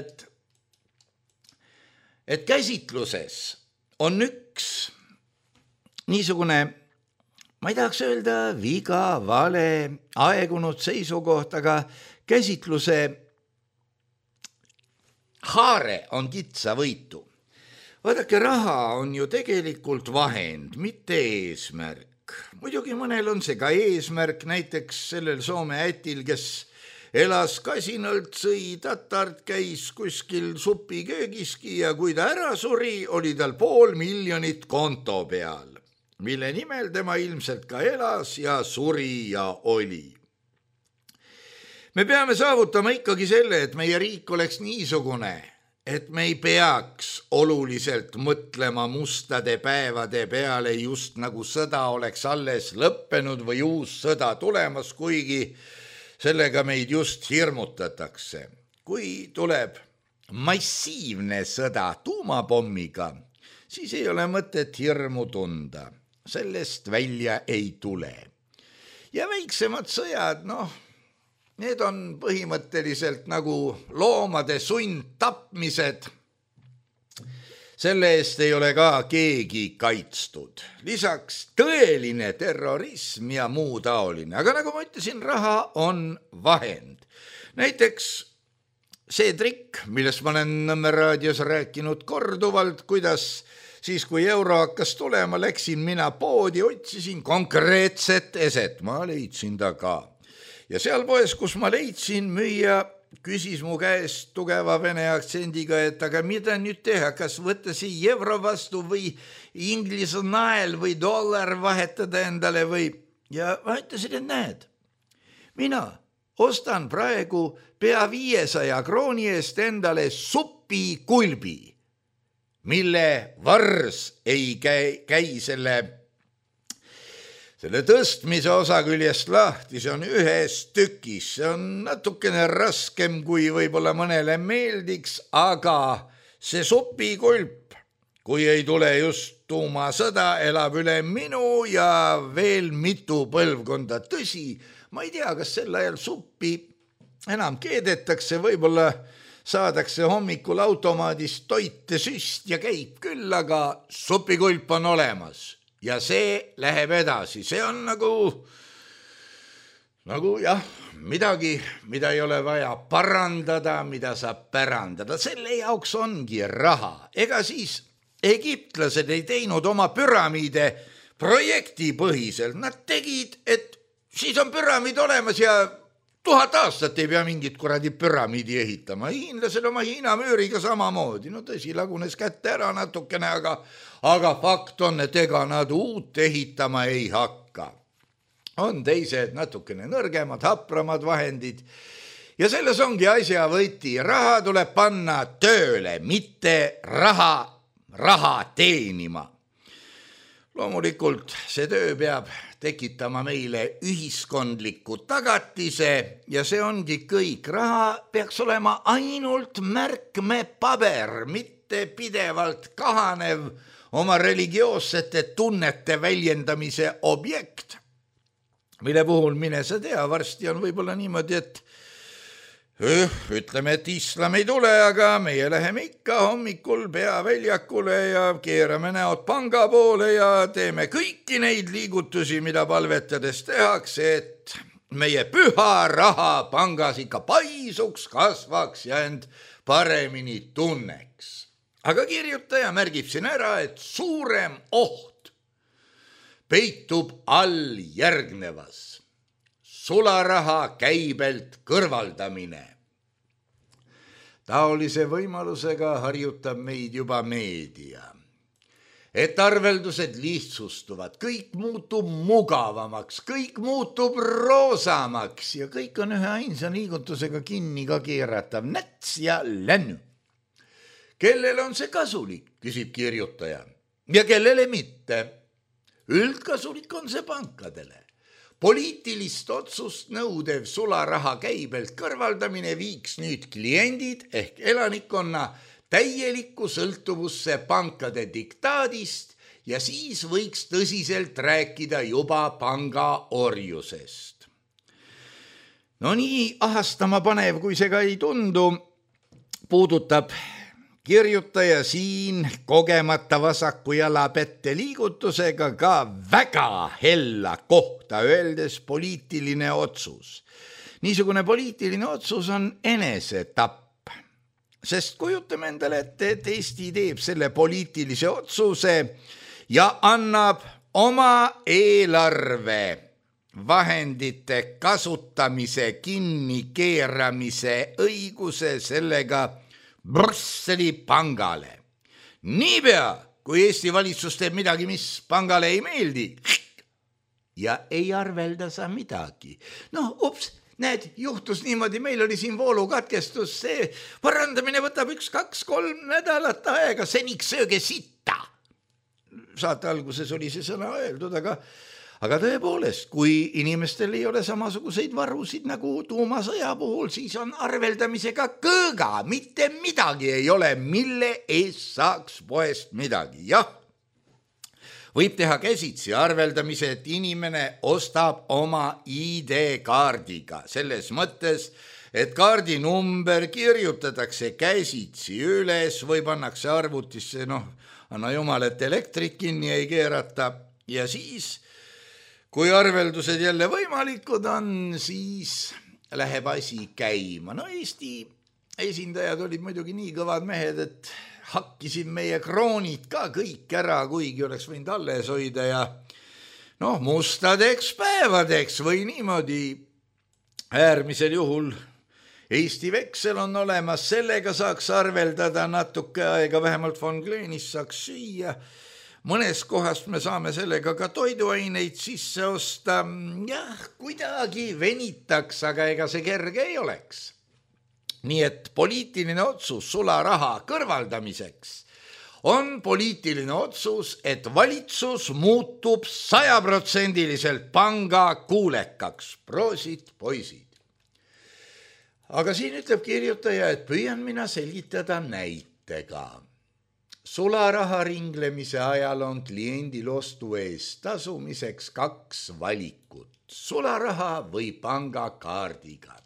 et käsitluses on üks niisugune, ma ei tahaks öelda viga, vale, aegunud seisukoht, aga käsitluse haare on kitsavõitu. Vaadake, raha on ju tegelikult vahend, mitte eesmärk. Muidugi mõnel on see ka eesmärk, näiteks sellel Soome ätil, kes elas kasinalt, sõi tatart, käis kuskil supiköögiski ja kui ta ära suri, oli tal 500 000 konto peal, mille nimel tema ilmselt ka elas ja suri ja oli. Me peame saavutama ikkagi selle, et meie riik oleks niisugune, et me ei peaks oluliselt mõtlema mustade päevade peale, just nagu sõda oleks alles lõppenud või uus sõda tulemas, kuigi sellega meid just hirmutatakse. Kui tuleb massiivne sõda tuumapommiga, siis ei ole mõtet hirmu tunda. Sellest välja ei tule. Ja väiksemad sõjad, need on põhimõtteliselt nagu loomade sundtapmised. Selle eest ei ole ka keegi kaitstud. Lisaks tõeline terrorism ja muu taoline. Aga nagu ma ütlesin, raha on vahend. Näiteks see trikk, millest ma olen Nõmme raadios rääkinud korduvalt, kuidas siis kui euro hakkas tulema, läksin mina poodi, otsisin konkreetset eset. Ma leidsin ta ka. Ja seal poes, kus ma leidsin, müüja küsis mu käest tugeva vene aktsendiga, et aga mida nüüd teha, kas võtta siia euro vastu või inglise nael või dollar vahetada endale või... Ja ma ütlesin, et näed, mina ostan praegu pea 500 krooni eest endale supikulbi, mille vars ei käi selle tõstmise osa küljest lahti, see on ühes tükis, see on natukene raskem, kui võib-olla mõnele meeldiks, aga see supikulp, kui ei tule just tuumasõda, elab üle minu ja veel mitu põlvkonda. Tõsi, ma ei tea, kas sel ajal suppi enam keedetakse, võib-olla saadakse hommikul automaadist toite süst ja käib küll, aga supikulp on olemas. Ja see läheb edasi, see on nagu jah, midagi, mida ei ole vaja parandada, mida saab pärandada. Selle jaoks ongi raha. Ega siis egiptlased ei teinud oma püramiide projektipõhiselt. Nad tegid, et siis on püramiid olemas ja 1000 aastat ei pea mingit kuradi püramiidi ehitama. Hiinlased oma Hiina müüriga samamoodi. Tõsi, lagunes kätte ära natukene, aga fakt on, et ega nad uut ehitama ei hakka. On teised natukene nõrgemad, hapramad vahendid. Ja selles ongi asja võti. Raha tuleb panna tööle, mitte raha teenima. Loomulikult see töö peab tekitama meile ühiskondliku tagatise ja see ongi kõik. Raha peaks olema ainult märkmepaber, mitte pidevalt kahanev oma religioossete tunnete väljendamise objekt, mille puhul mine sa tea, varsti on võib-olla niimoodi, et ütleme, et islam ei tule, aga meie läheme ikka hommikul peaväljakule ja keerame näod panga poole ja teeme kõiki neid liigutusi, mida palvetades tehakse, et meie püha raha pangas ikka paisuks, kasvaks ja end paremini tunneks. Aga kirjutaja märgib siin ära, et suurem oht peitub all järgnevas. Sularaha käibelt kõrvaldamine. Taolise võimalusega harjutab meid juba meedia. Et arveldused lihtsustuvad, kõik muutub mugavamaks, kõik muutub roosamaks ja kõik on ühe ainsa liigutusega kinni ka keeratav. Näts ja lännu. Kellele on see kasulik, küsib kirjutaja, ja kellele mitte. Üldkasulik on see pankadele. Poliitilist otsust nõudev sularaha käibelt kõrvaldamine viiks nüüd kliendid ehk elanikkonna täielikku sõltuvusse pankade diktaadist ja siis võiks tõsiselt rääkida juba panga orjusest. No nii ahastama panev, kui see ka ei tundu, puudutab kirjutaja siin kogemata vasaku jala pette liigutusega ka väga hella kohta öeldes poliitiline otsus. Niisugune poliitiline otsus on enesetapp, sest kujutame endale ette, et Eesti teeb selle poliitilise otsuse ja annab oma eelarve vahendite kasutamise kinnikeeramise õiguse sellega Brüsseli pangale. Niipea, kui Eesti valitsus teeb midagi, mis pangale ei meeldi ja ei arvelda sa midagi. Näed, juhtus niimoodi, meil oli siin voolukatkestus, see parandamine võtab 1, 2, 3 nädalat aega, seniks sööge sitta. Saate alguses oli see sõna öeldud, aga tõepoolest, kui inimestel ei ole samasuguseid varusid nagu tuumasõja puhul, siis on arveldamisega kõõga, mitte midagi ei ole, mille eest saaks poest midagi. Jah, võib teha käsitsi arveldamise, et inimene ostab oma ID-kaardiga, selles mõttes, et kaardi number kirjutatakse käsitsi üles või pannakse arvutisse, anna jumal, et elektrit kinni ei keerata ja siis kui arveldused jälle võimalikud on, siis läheb asi käima. Eesti esindajad olid muidugi nii kõvad mehed, et hakkisid meie kroonid ka kõik ära, kuigi oleks võinud alles hoida ja mustadeks päevadeks või niimoodi. Äärmisel juhul Eesti veksel on olemas, sellega saaks arveldada natuke aega, vähemalt von Gleenis saaks süüa. Mõnes kohast me saame sellega ka toiduaineid sisse osta. Jah, kuidagi venitaks, aga ega see kerge ei oleks. Nii et poliitiline otsus sularaha kõrvaldamiseks on poliitiline otsus, et valitsus muutub 100% panga kuulekaks. Proosid, poisid. Aga siin ütleb kirjutaja, et püüan mina selgitada näitega. Sularaha ringlemise ajal on kliendil ostu eest tasumiseks 2 valikut, sularaha või pangakaardiga.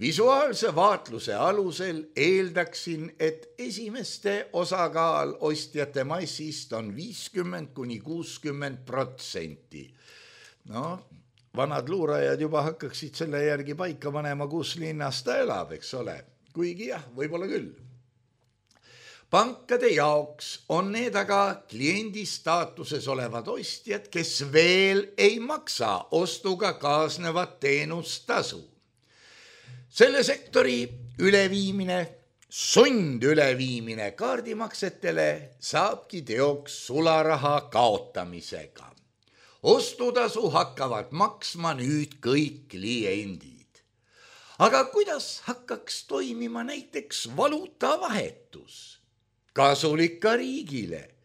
Visuaalse vaatluse alusel eeldaksin, et esimeste osakaal ostjate massist on 50–60%. Vanad luurajad juba hakkaksid selle järgi paika panema, kus linnas ta elab, eks ole. Kuigi jah, võib-olla küll. Pankade jaoks on need aga kliendi staatuses olevad ostjad, kes veel ei maksa ostuga kaasnevat teenustasu. Selle sektori üleviimine, sund üleviimine kaardimaksetele saabki teoks sularaha kaotamisega. Ostutasu hakkavad maksma nüüd kõik kliendid. Aga kuidas hakkaks toimima näiteks valuutavahetus? Kasulik ka riigile.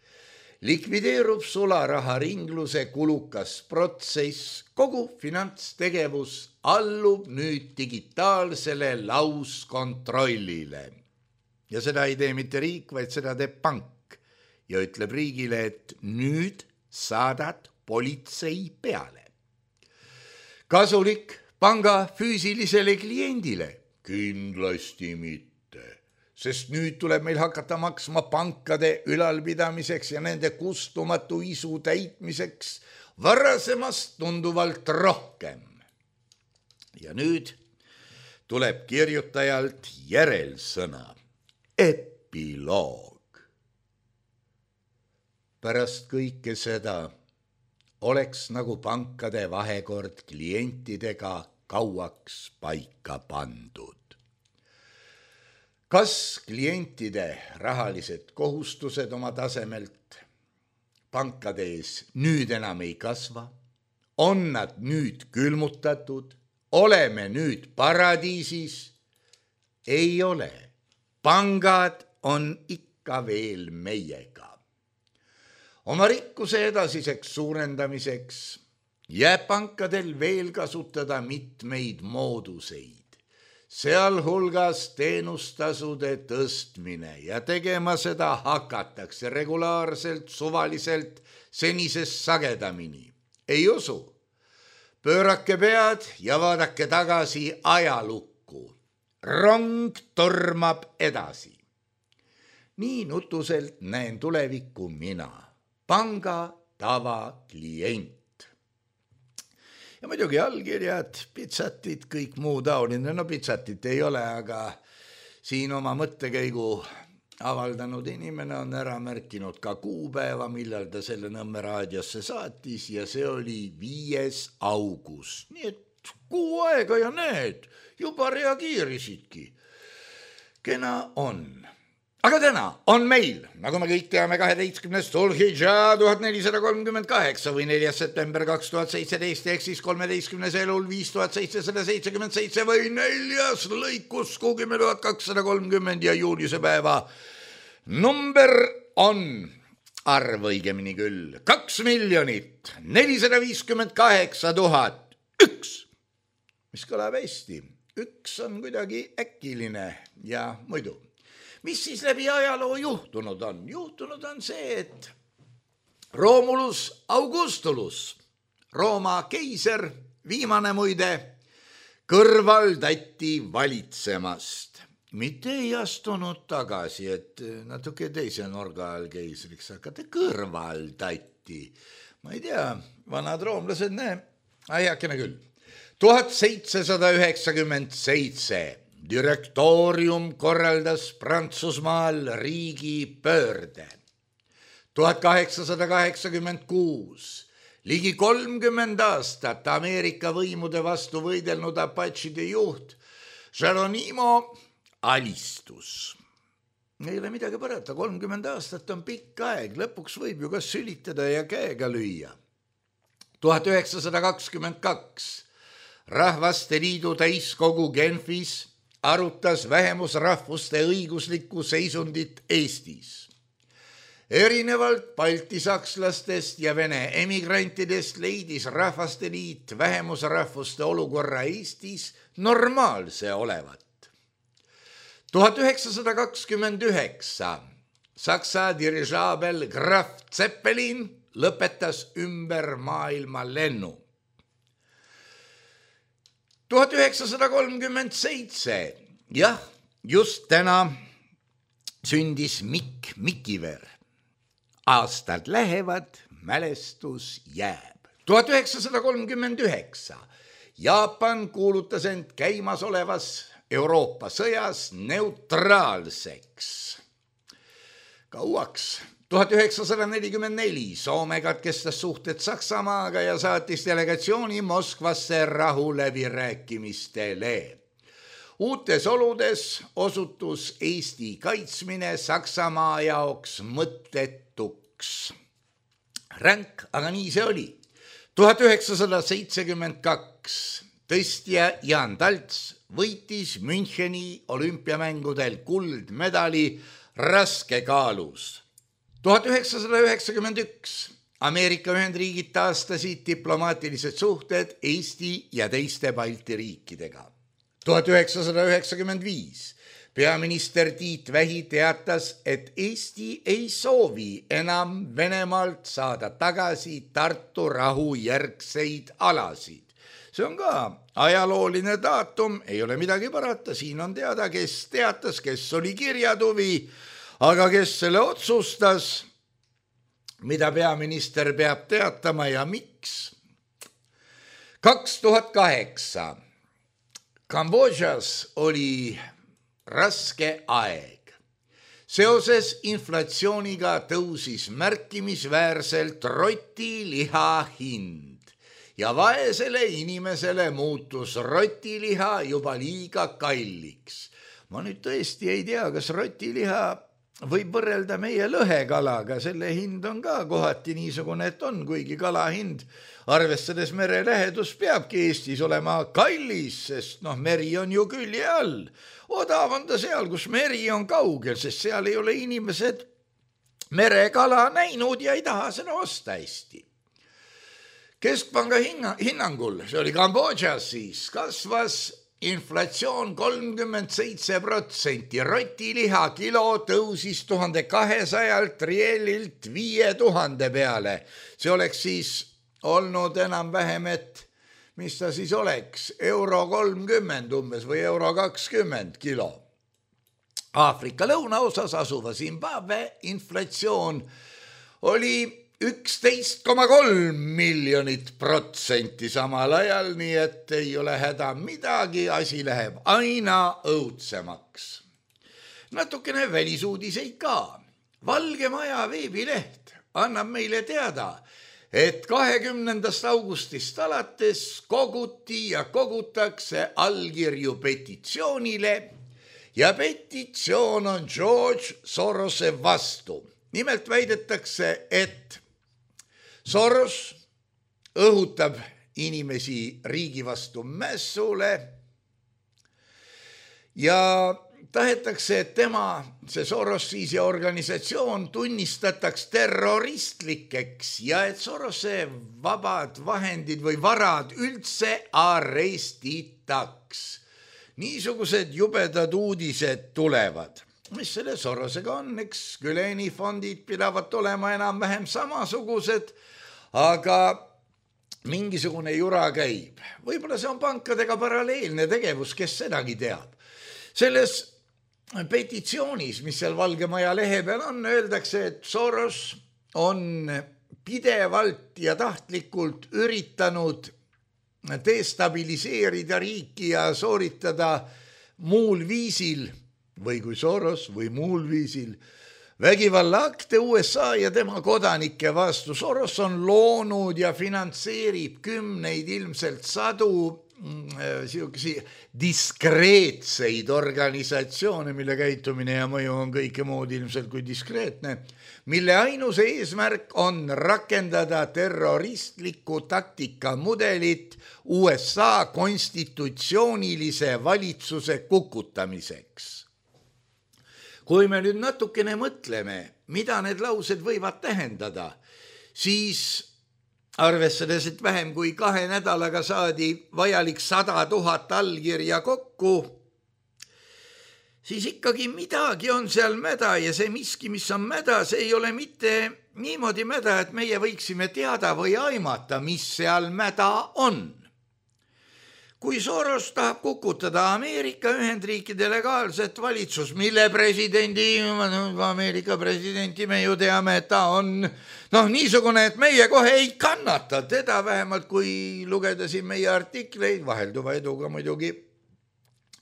Likvideerub sularaha ringluse kulukas protsess, kogu finantstegevus allub nüüd digitaalsele lauskontrollile. Ja seda ei tee mitte riik, vaid seda teeb pank ja ütleb riigile, et nüüd saadad politsei peale. Kasulik panga füüsilisele kliendile? Kindlasti mitte. Sest nüüd tuleb meil hakata maksma pankade ülalpidamiseks ja nende kustumatu isu täitmiseks varasemast tunduvalt rohkem. Ja nüüd tuleb kirjutajalt järelsõna, epiloog. Pärast kõike seda oleks nagu pankade vahekord klientidega kauaks paika pandud. Kas klientide rahalised kohustused oma tasemelt pankade ees nüüd enam ei kasva? On nad nüüd külmutatud? Oleme nüüd paradiisis? Ei ole. Pangad on ikka veel meiega. Oma rikkuse edasiseks suurendamiseks jääb pankadel veel kasutada mitmeid mooduseid. Sealhulgas teenustasude tõstmine ja tegema seda hakatakse regulaarselt, suvaliselt, senisest sagedamini. Ei usu. pöörake pead ja vaadake tagasi ajalukku. Rong tormab edasi. Nii nutuselt näen tulevikku mina, panga tavaklient. Ja muidugi allkirjad, pitsatid, kõik muu taoline. No pitsatit ei ole, aga siin oma mõttekäigu avaldanud inimene on ära märkinud ka kuupäeva, millal ta selle Nõmme raadiosse saatis ja see oli 5. august. Nii et kuu aega ja need juba reageerisidki. Kena on. Aga täna on meil, nagu me kõik teame, 12. Dhul-Hidžaa 1438 või 4. september 2017 ehk siis 13. elul 5777 või 4. lõikus 10.230 ja juulise päeva number on arv õigemini küll 2 458 001, mis kõlab hästi. Üks on kuidagi äkiline ja muidu. Mis siis läbi ajaloo juhtunud on? Juhtunud on see, et Romulus Augustulus, Rooma keiser, viimane muide, kõrvaldati valitsemast. Mitte ei astunud tagasi, et natuke teise nurga all keisriks hakata, kõrvaldati. Ma ei tea, vanad roomlased, aiakene küll. 1797 direktoorium korraldas Prantsusmaal riigi pöörde. 1886 ligi 30 aastat Ameerika võimude vastu võidelnud apatšide juht Geronimo alistus. Ei ole midagi parata, 30 aastat on pikk aeg, lõpuks võib ju ka sülitada ja käega lüüa. 1922 Rahvaste Liidu täiskogu Genfis arutas vähemusrahvuste õiguslikku seisundit Eestis. Erinevalt baltisakslastest ja vene emigrantidest leidis Rahvaste Liit vähemusrahvuste olukorra Eestis normaalse olevat. 1929 Saksa dirižaabel Graf Zeppelin lõpetas ümber maailma lennu. 1937, jah, just täna sündis Mikk Mikiver. Aastad lähevad, mälestus jääb. 1939 Jaapan kuulutas end käimasolevas Euroopa sõjas neutraalseks. Kauaks. 1944 Soome katkestas suhted Saksamaaga ja saatis delegatsiooni Moskvasse rahuläbirääkimistele. Uutes oludes osutus Eesti kaitsmine Saksamaa jaoks mõttetuks. Ränk, aga nii see oli. 1972 tõstja Jan Talts võitis Müncheni olümpiamängudel kuldmedali raskekaalus. 1991 Ameerika Ühendriigid taastasid diplomaatilised suhted Eesti ja teiste Balti riikidega. 1995 peaminister Tiit Vähi teatas, et Eesti ei soovi enam Venemaalt saada tagasi Tartu rahu järgseid alasid. See on ka ajalooline daatum, ei ole midagi parata, siin on teada, kes teatas, kes oli kirjatuvi, aga kes selle otsustas, mida peaminister peab teatama ja miks? 2008 Kambodžas oli raske aeg. Seoses inflatsiooniga tõusis märkimisväärselt rotiliha hind ja vaesele inimesele muutus rotiliha juba liiga kalliks. Ma nüüd tõesti ei tea, kas rotiliha võib võrrelda meie lõhekalaga, selle hind on ka kohati niisugune, et on, kuigi kala hind, arvestades mere lähedus, peabki Eestis olema kallis, sest meri on ju külje all. Odav on ta seal, kus meri on kaugel, sest seal ei ole inimesed merekala näinud ja ei taha seda osta hästi. Keskpanga hinnangul, see oli Kambodžas siis, kasvas inflatsioon 37%, rotiliha kilo tõusis 1200 rielilt 5000 peale. See oleks siis olnud enam-vähem, et mis ta siis oleks, €30 umbes või €20 kilo. Aafrika lõunaosas asuva Zimbabwe inflatsioon oli 11,3 miljonit protsenti samal ajal, nii et ei ole häda midagi, asi läheb aina õudsemaks. Natukene välisuudiseid ka. Valge Maja veebileht annab meile teada, et 20. augustist alates koguti ja kogutakse allkirju petitsioonile ja petitsioon on George Sorose vastu. Nimelt väidetakse, et Soros õhutab inimesi riigi vastu mässule ja tahetakse, et see Soros siis ja organisatsioon tunnistataks terroristlikeks ja et Sorose vabad vahendid või varad üldse arestitaks. Niisugused jubedad uudised tulevad. Mis selle Sorosega on, eks Güleni-fondid pidavat olema enam-vähem samasugused, aga mingisugune jura käib. Võib-olla see on pankadega paralleelne tegevus, kes sedagi teab. Selles petitsioonis, mis seal Valge Maja lehe peal on, öeldakse, et Soros on pidevalt ja tahtlikult üritanud destabiliseerida riiki ja sooritada muul viisil või kui Soros või muul viisil vägivallaakte USA ja tema kodanike vastu. Soros on loonud ja finantseerib kümneid, ilmselt sadu diskreetseid organisatsioone, mille käitumine ja mõju on kõike muud ilmselt kui diskreetne, mille ainus eesmärk on rakendada terroristlikku taktikamudelit USA konstitutsioonilise valitsuse kukutamiseks. Kui me nüüd natukene mõtleme, mida need laused võivad tähendada, siis arvestades, et vähem kui 2 nädalaga saadi vajalik 100 000 allkirja kokku, siis ikkagi midagi on seal mäda ja see miski, mis on mäda, see ei ole mitte niimoodi mäda, et meie võiksime teada või aimata, mis seal mäda on. Kui Soros tahab kukutada Ameerika Ühendriikide legaalset valitsus, mille Ameerika presidenti me ju teame, et ta on niisugune, et meie kohe ei kannata teda, vähemalt kui lugeda siin meie artikleid, vahelduva eduga muidugi,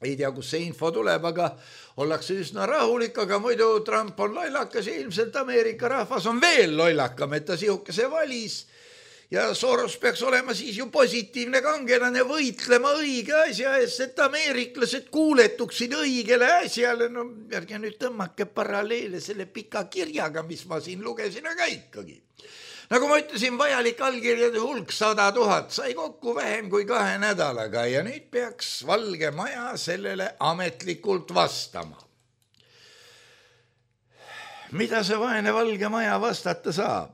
ei tea, kus see info tuleb, aga ollakse üsna rahulik, aga muidu Trump on lollakas ja ilmselt Ameerika rahvas on veel lollakam, et ta sihukese valis. Ja Soros peaks olema siis ju positiivne kangelane võitlema õige asja eest, et ameeriklased kuuletuksid õigele asjale. Ärge nüüd tõmmake paralleele selle pika kirjaga, mis ma siin lugesin, aga ikkagi. Nagu ma ütlesin, vajalik allkirjade hulk 100 000 sai kokku vähem kui 2 nädalaga ja nüüd peaks Valge Maja sellele ametlikult vastama. Mida see vaene Valge Maja vastata saab?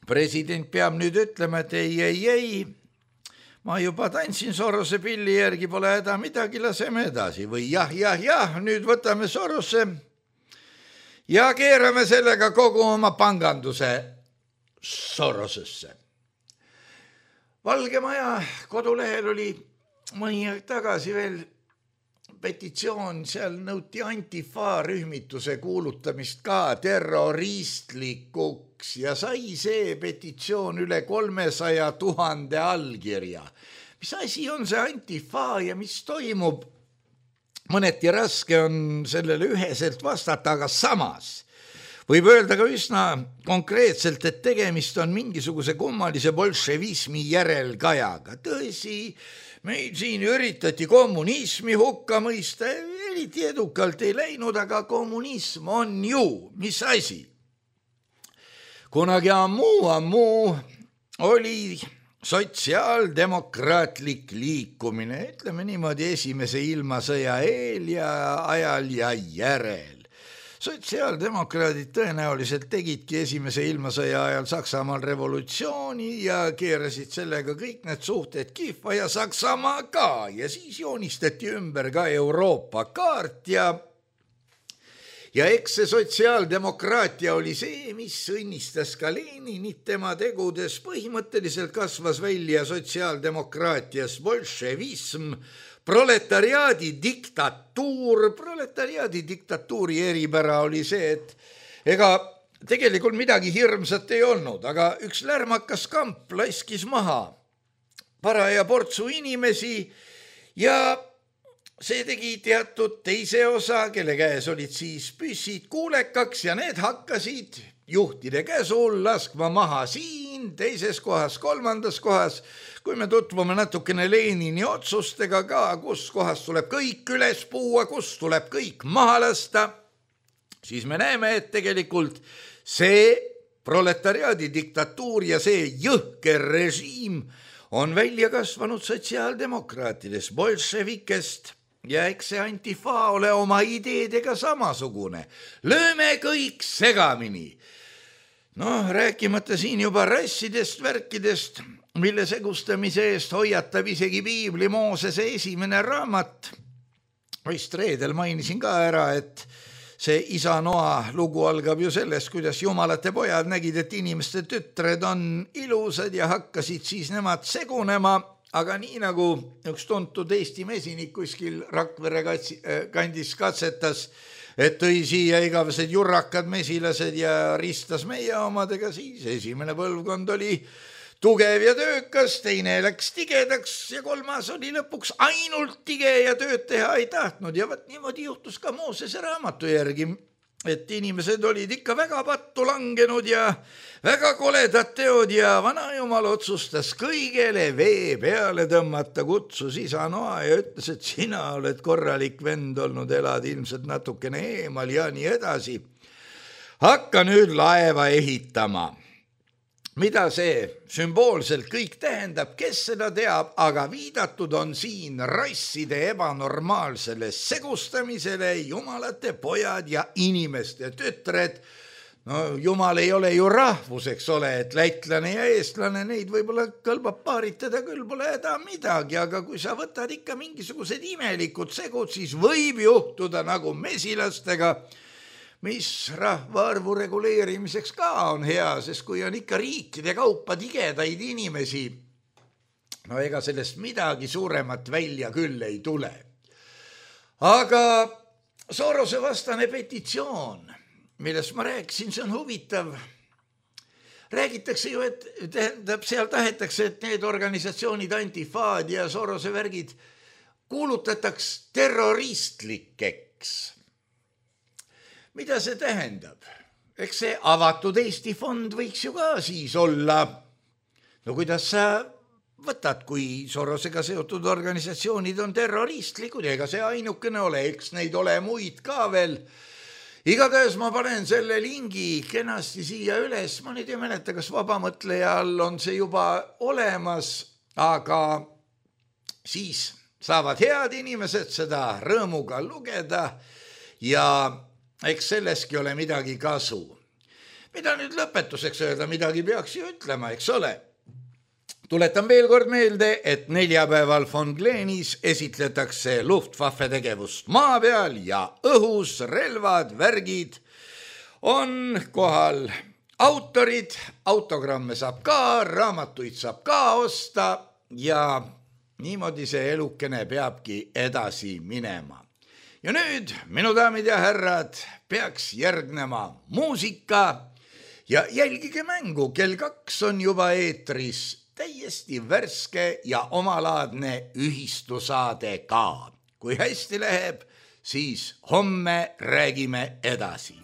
President peab nüüd ütlema, et ei, ma juba tantsin Sorose pilli järgi, pole häda midagi, laseme edasi. Või jah, nüüd võtame Sorose ja keerame sellega kogu oma panganduse Sorosesse. Valge Maja kodulehel oli mõni aeg tagasi veel petitsioon, seal nõuti Antifa rühmituse kuulutamist ka terroristlikuks ja sai see petitsioon üle 300 000 allkirja. Mis asi on see Antifa ja mis toimub? Mõneti raske on sellele üheselt vastata, aga samas võib öelda ka üsna konkreetselt, et tegemist on mingisuguse kummalise bolševismi järelkajaga. Tõsi, meil siin üritati kommunismi hukka mõista, eriti edukalt ei läinud, aga kommunism on ju, mis asi? Kunagi ammu oli sotsiaaldemokraatlik liikumine, ütleme niimoodi esimese ilmasõja eel ja ajal ja järel. Sotsiaaldemokraadid tõenäoliselt tegidki esimese ilmasõja ajal Saksamaal revolutsiooni ja keerasid sellega kõik need suhted kihva ja Saksamaa ka ja siis joonistati ümber ka Euroopa kaart ja eks see sotsiaaldemokraatia oli see, mis õnnistas ka Leninit tema tegudes. Põhimõtteliselt kasvas välja sotsiaaldemokraatias bolševism, proletariaadi diktatuuri eripära oli see, et ega tegelikult midagi hirmsat ei olnud, aga üks lärmakas kamp laiskis maha paraja portsu inimesi ja see tegi teatud teise osa, kelle käes olid siis püssid kuulekaks ja need hakkasid juhtide käsul laskma maha siin, teises kohas, kolmandas kohas. Kui me tutvume natukene Lenini otsustega ka, kus kohas tuleb kõik üles puua, kus tuleb kõik maha lasta, siis me näeme, et tegelikult see proletariaadi diktatuur ja see jõhker režiim on välja kasvanud sotsiaaldemokraatides, bolševikest ja eks see Antifa ole oma ideedega samasugune. Lööme kõik segamini. Rääkimata siin juba rassidest, värkidest, mille segustamise eest hoiatab isegi Piibli Moosese esimene raamat. Vist reedel mainisin ka ära, et see isa Noa lugu algab ju sellest, kuidas jumalate pojad nägid, et inimeste tütred on ilusad ja hakkasid siis nemad segunema, aga nii nagu üks tuntud Eesti mesinik kuskil Rakvere kandis katsetas, et tõi siia igavesed jurrakad mesilased ja ristas meie omadega, siis esimene põlvkond oli tugev ja töökas, teine läks tigedaks ja kolmas oli lõpuks ainult tige ja tööd teha ei tahtnud. Ja niimoodi juhtus ka Moosese raamatu järgi, et inimesed olid ikka väga pattu langenud ja väga koledad teod ja vanajumal otsustas kõigele vee peale tõmmata, kutsus isa Noa ja ütles, et sina oled korralik vend olnud, elad ilmselt natukene eemal ja nii edasi. Hakka nüüd laeva ehitama. Mida see sümboolselt kõik tähendab, kes seda teab, aga viidatud on siin rasside ebanormaalsele segustamisele, jumalate pojad ja inimeste tütred. Jumal ei ole ju rahvus, eks ole, et lätlane ja eestlane, neid võib-olla kõlbab paaritada, küll pole häda midagi, aga kui sa võtad ikka mingisugused imelikud segud, siis võib juhtuda nagu mesilastega, mis rahvaarvu reguleerimiseks ka on hea, sest kui on ikka riikide kaupa tigedaid inimesi, ega sellest midagi suuremat välja küll ei tule. Aga Sorose vastane petitsioon, millest ma rääkisin, see on huvitav. Räägitakse ju, et seal tahetakse, et need organisatsioonid, Antifaad ja Sorose värgid kuulutataks terroristlikeks. Mida see tähendab? Eks see avatud Eesti fond võiks ju ka siis olla. Kuidas sa võtad, kui Sorosega seotud organisatsioonid on terroristlikud, ega see ainukene ole, eks neid ole muid ka veel. Igatahes ma panen selle lingi kenasti siia üles, ma nüüd ei mäleta, kas vabamõtleja all on see juba olemas, aga siis saavad head inimesed seda rõõmuga lugeda ja eks selleski ole midagi kasu. Mida nüüd lõpetuseks öelda, midagi peaks ju ütlema, eks ole. Tuletan veel kord meelde, et neljapäeval von Gleenis esitletakse Luftwaffe tegevust maa peal ja õhus, relvad, värgid. On kohal autorid, autogramme saab ka, raamatuid saab ka osta ja niimoodi see elukene peabki edasi minema. Ja nüüd, minu daamid ja härrad, peaks järgnema muusika ja jälgige mängu, kell 2 on juba eetris täiesti värske ja omalaadne ühistusaade ka. Kui hästi läheb, siis homme räägime edasi.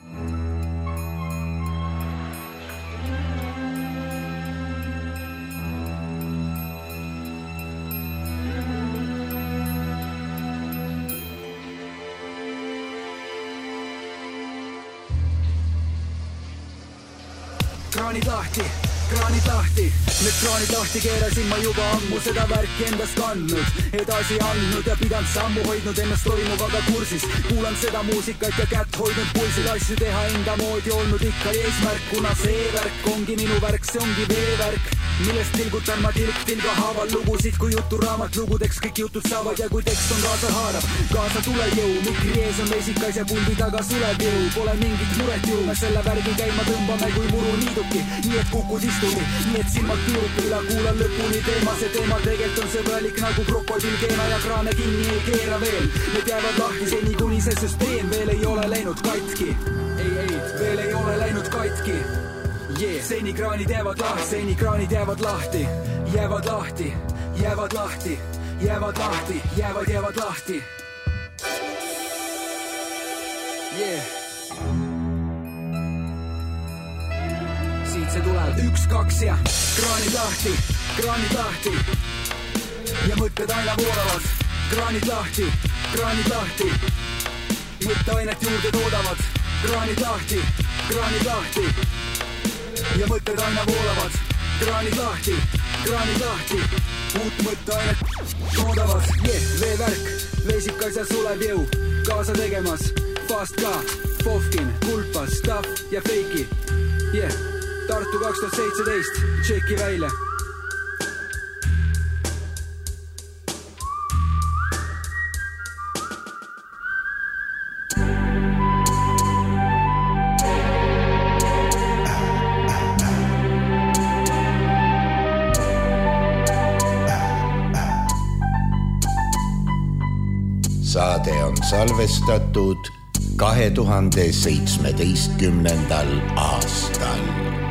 Kraanid lahti, kraanid lahti, need kraanid lahti keerasin ma juba ammu seda värki endast kandnud, edasi andnud ja pidanud sammu hoidnud ennast toimuvaga kursis, kuulan seda muusikat ja kätt hoidnud pulsil, asju teha enda moodi olnud ikka eesmärk, kuna see värk ongi minu värk, see ongi veevärk, millest tilgutan ma tilk tilga haaval lugusid, kui juturaamat lugudeks kõik jutud saavad ja kui tekst on kaasa haarab, kaasa tuleb jõu, mikri ees on vesikas ja puldi taga suleb jõu, pole mingit muret ju, me selle värgi käima tõmbame kui muru niiduki, nii et kukud istumi, nii et silmad piirupilla, kuulan lõpuni teema, see teema tegelikult on sõbralik nagu krokodill keena ja kraane kinni ei keera veel, need jäävad lahti seni kuni see süsteem veel ei ole läinud katki, ei, veel ei ole läinud katki. Yeah. Seni kraanid jäävad lahti, seni kraanid jäävad lahti, jäävad lahti, jäävad lahti, jäävad lahti, jäävad lahti. Yeah. Siit see tuleb 1, 2 ja kraanid lahti ja mõtted aina voolavad, kraanid lahti, mõtteainet juurde toodavad, kraanid lahti ja mõtted aina voolavad, kraanid lahti, uut mõtteainet toodavad, veevärk, veesikas ja sulev jõu, kaasa tegemas, Fast ka, Fofkin, Kulpas, Staff ja Feiki, Tartu 2017, tšeki välja. Saade on salvestatud 2017. aastal.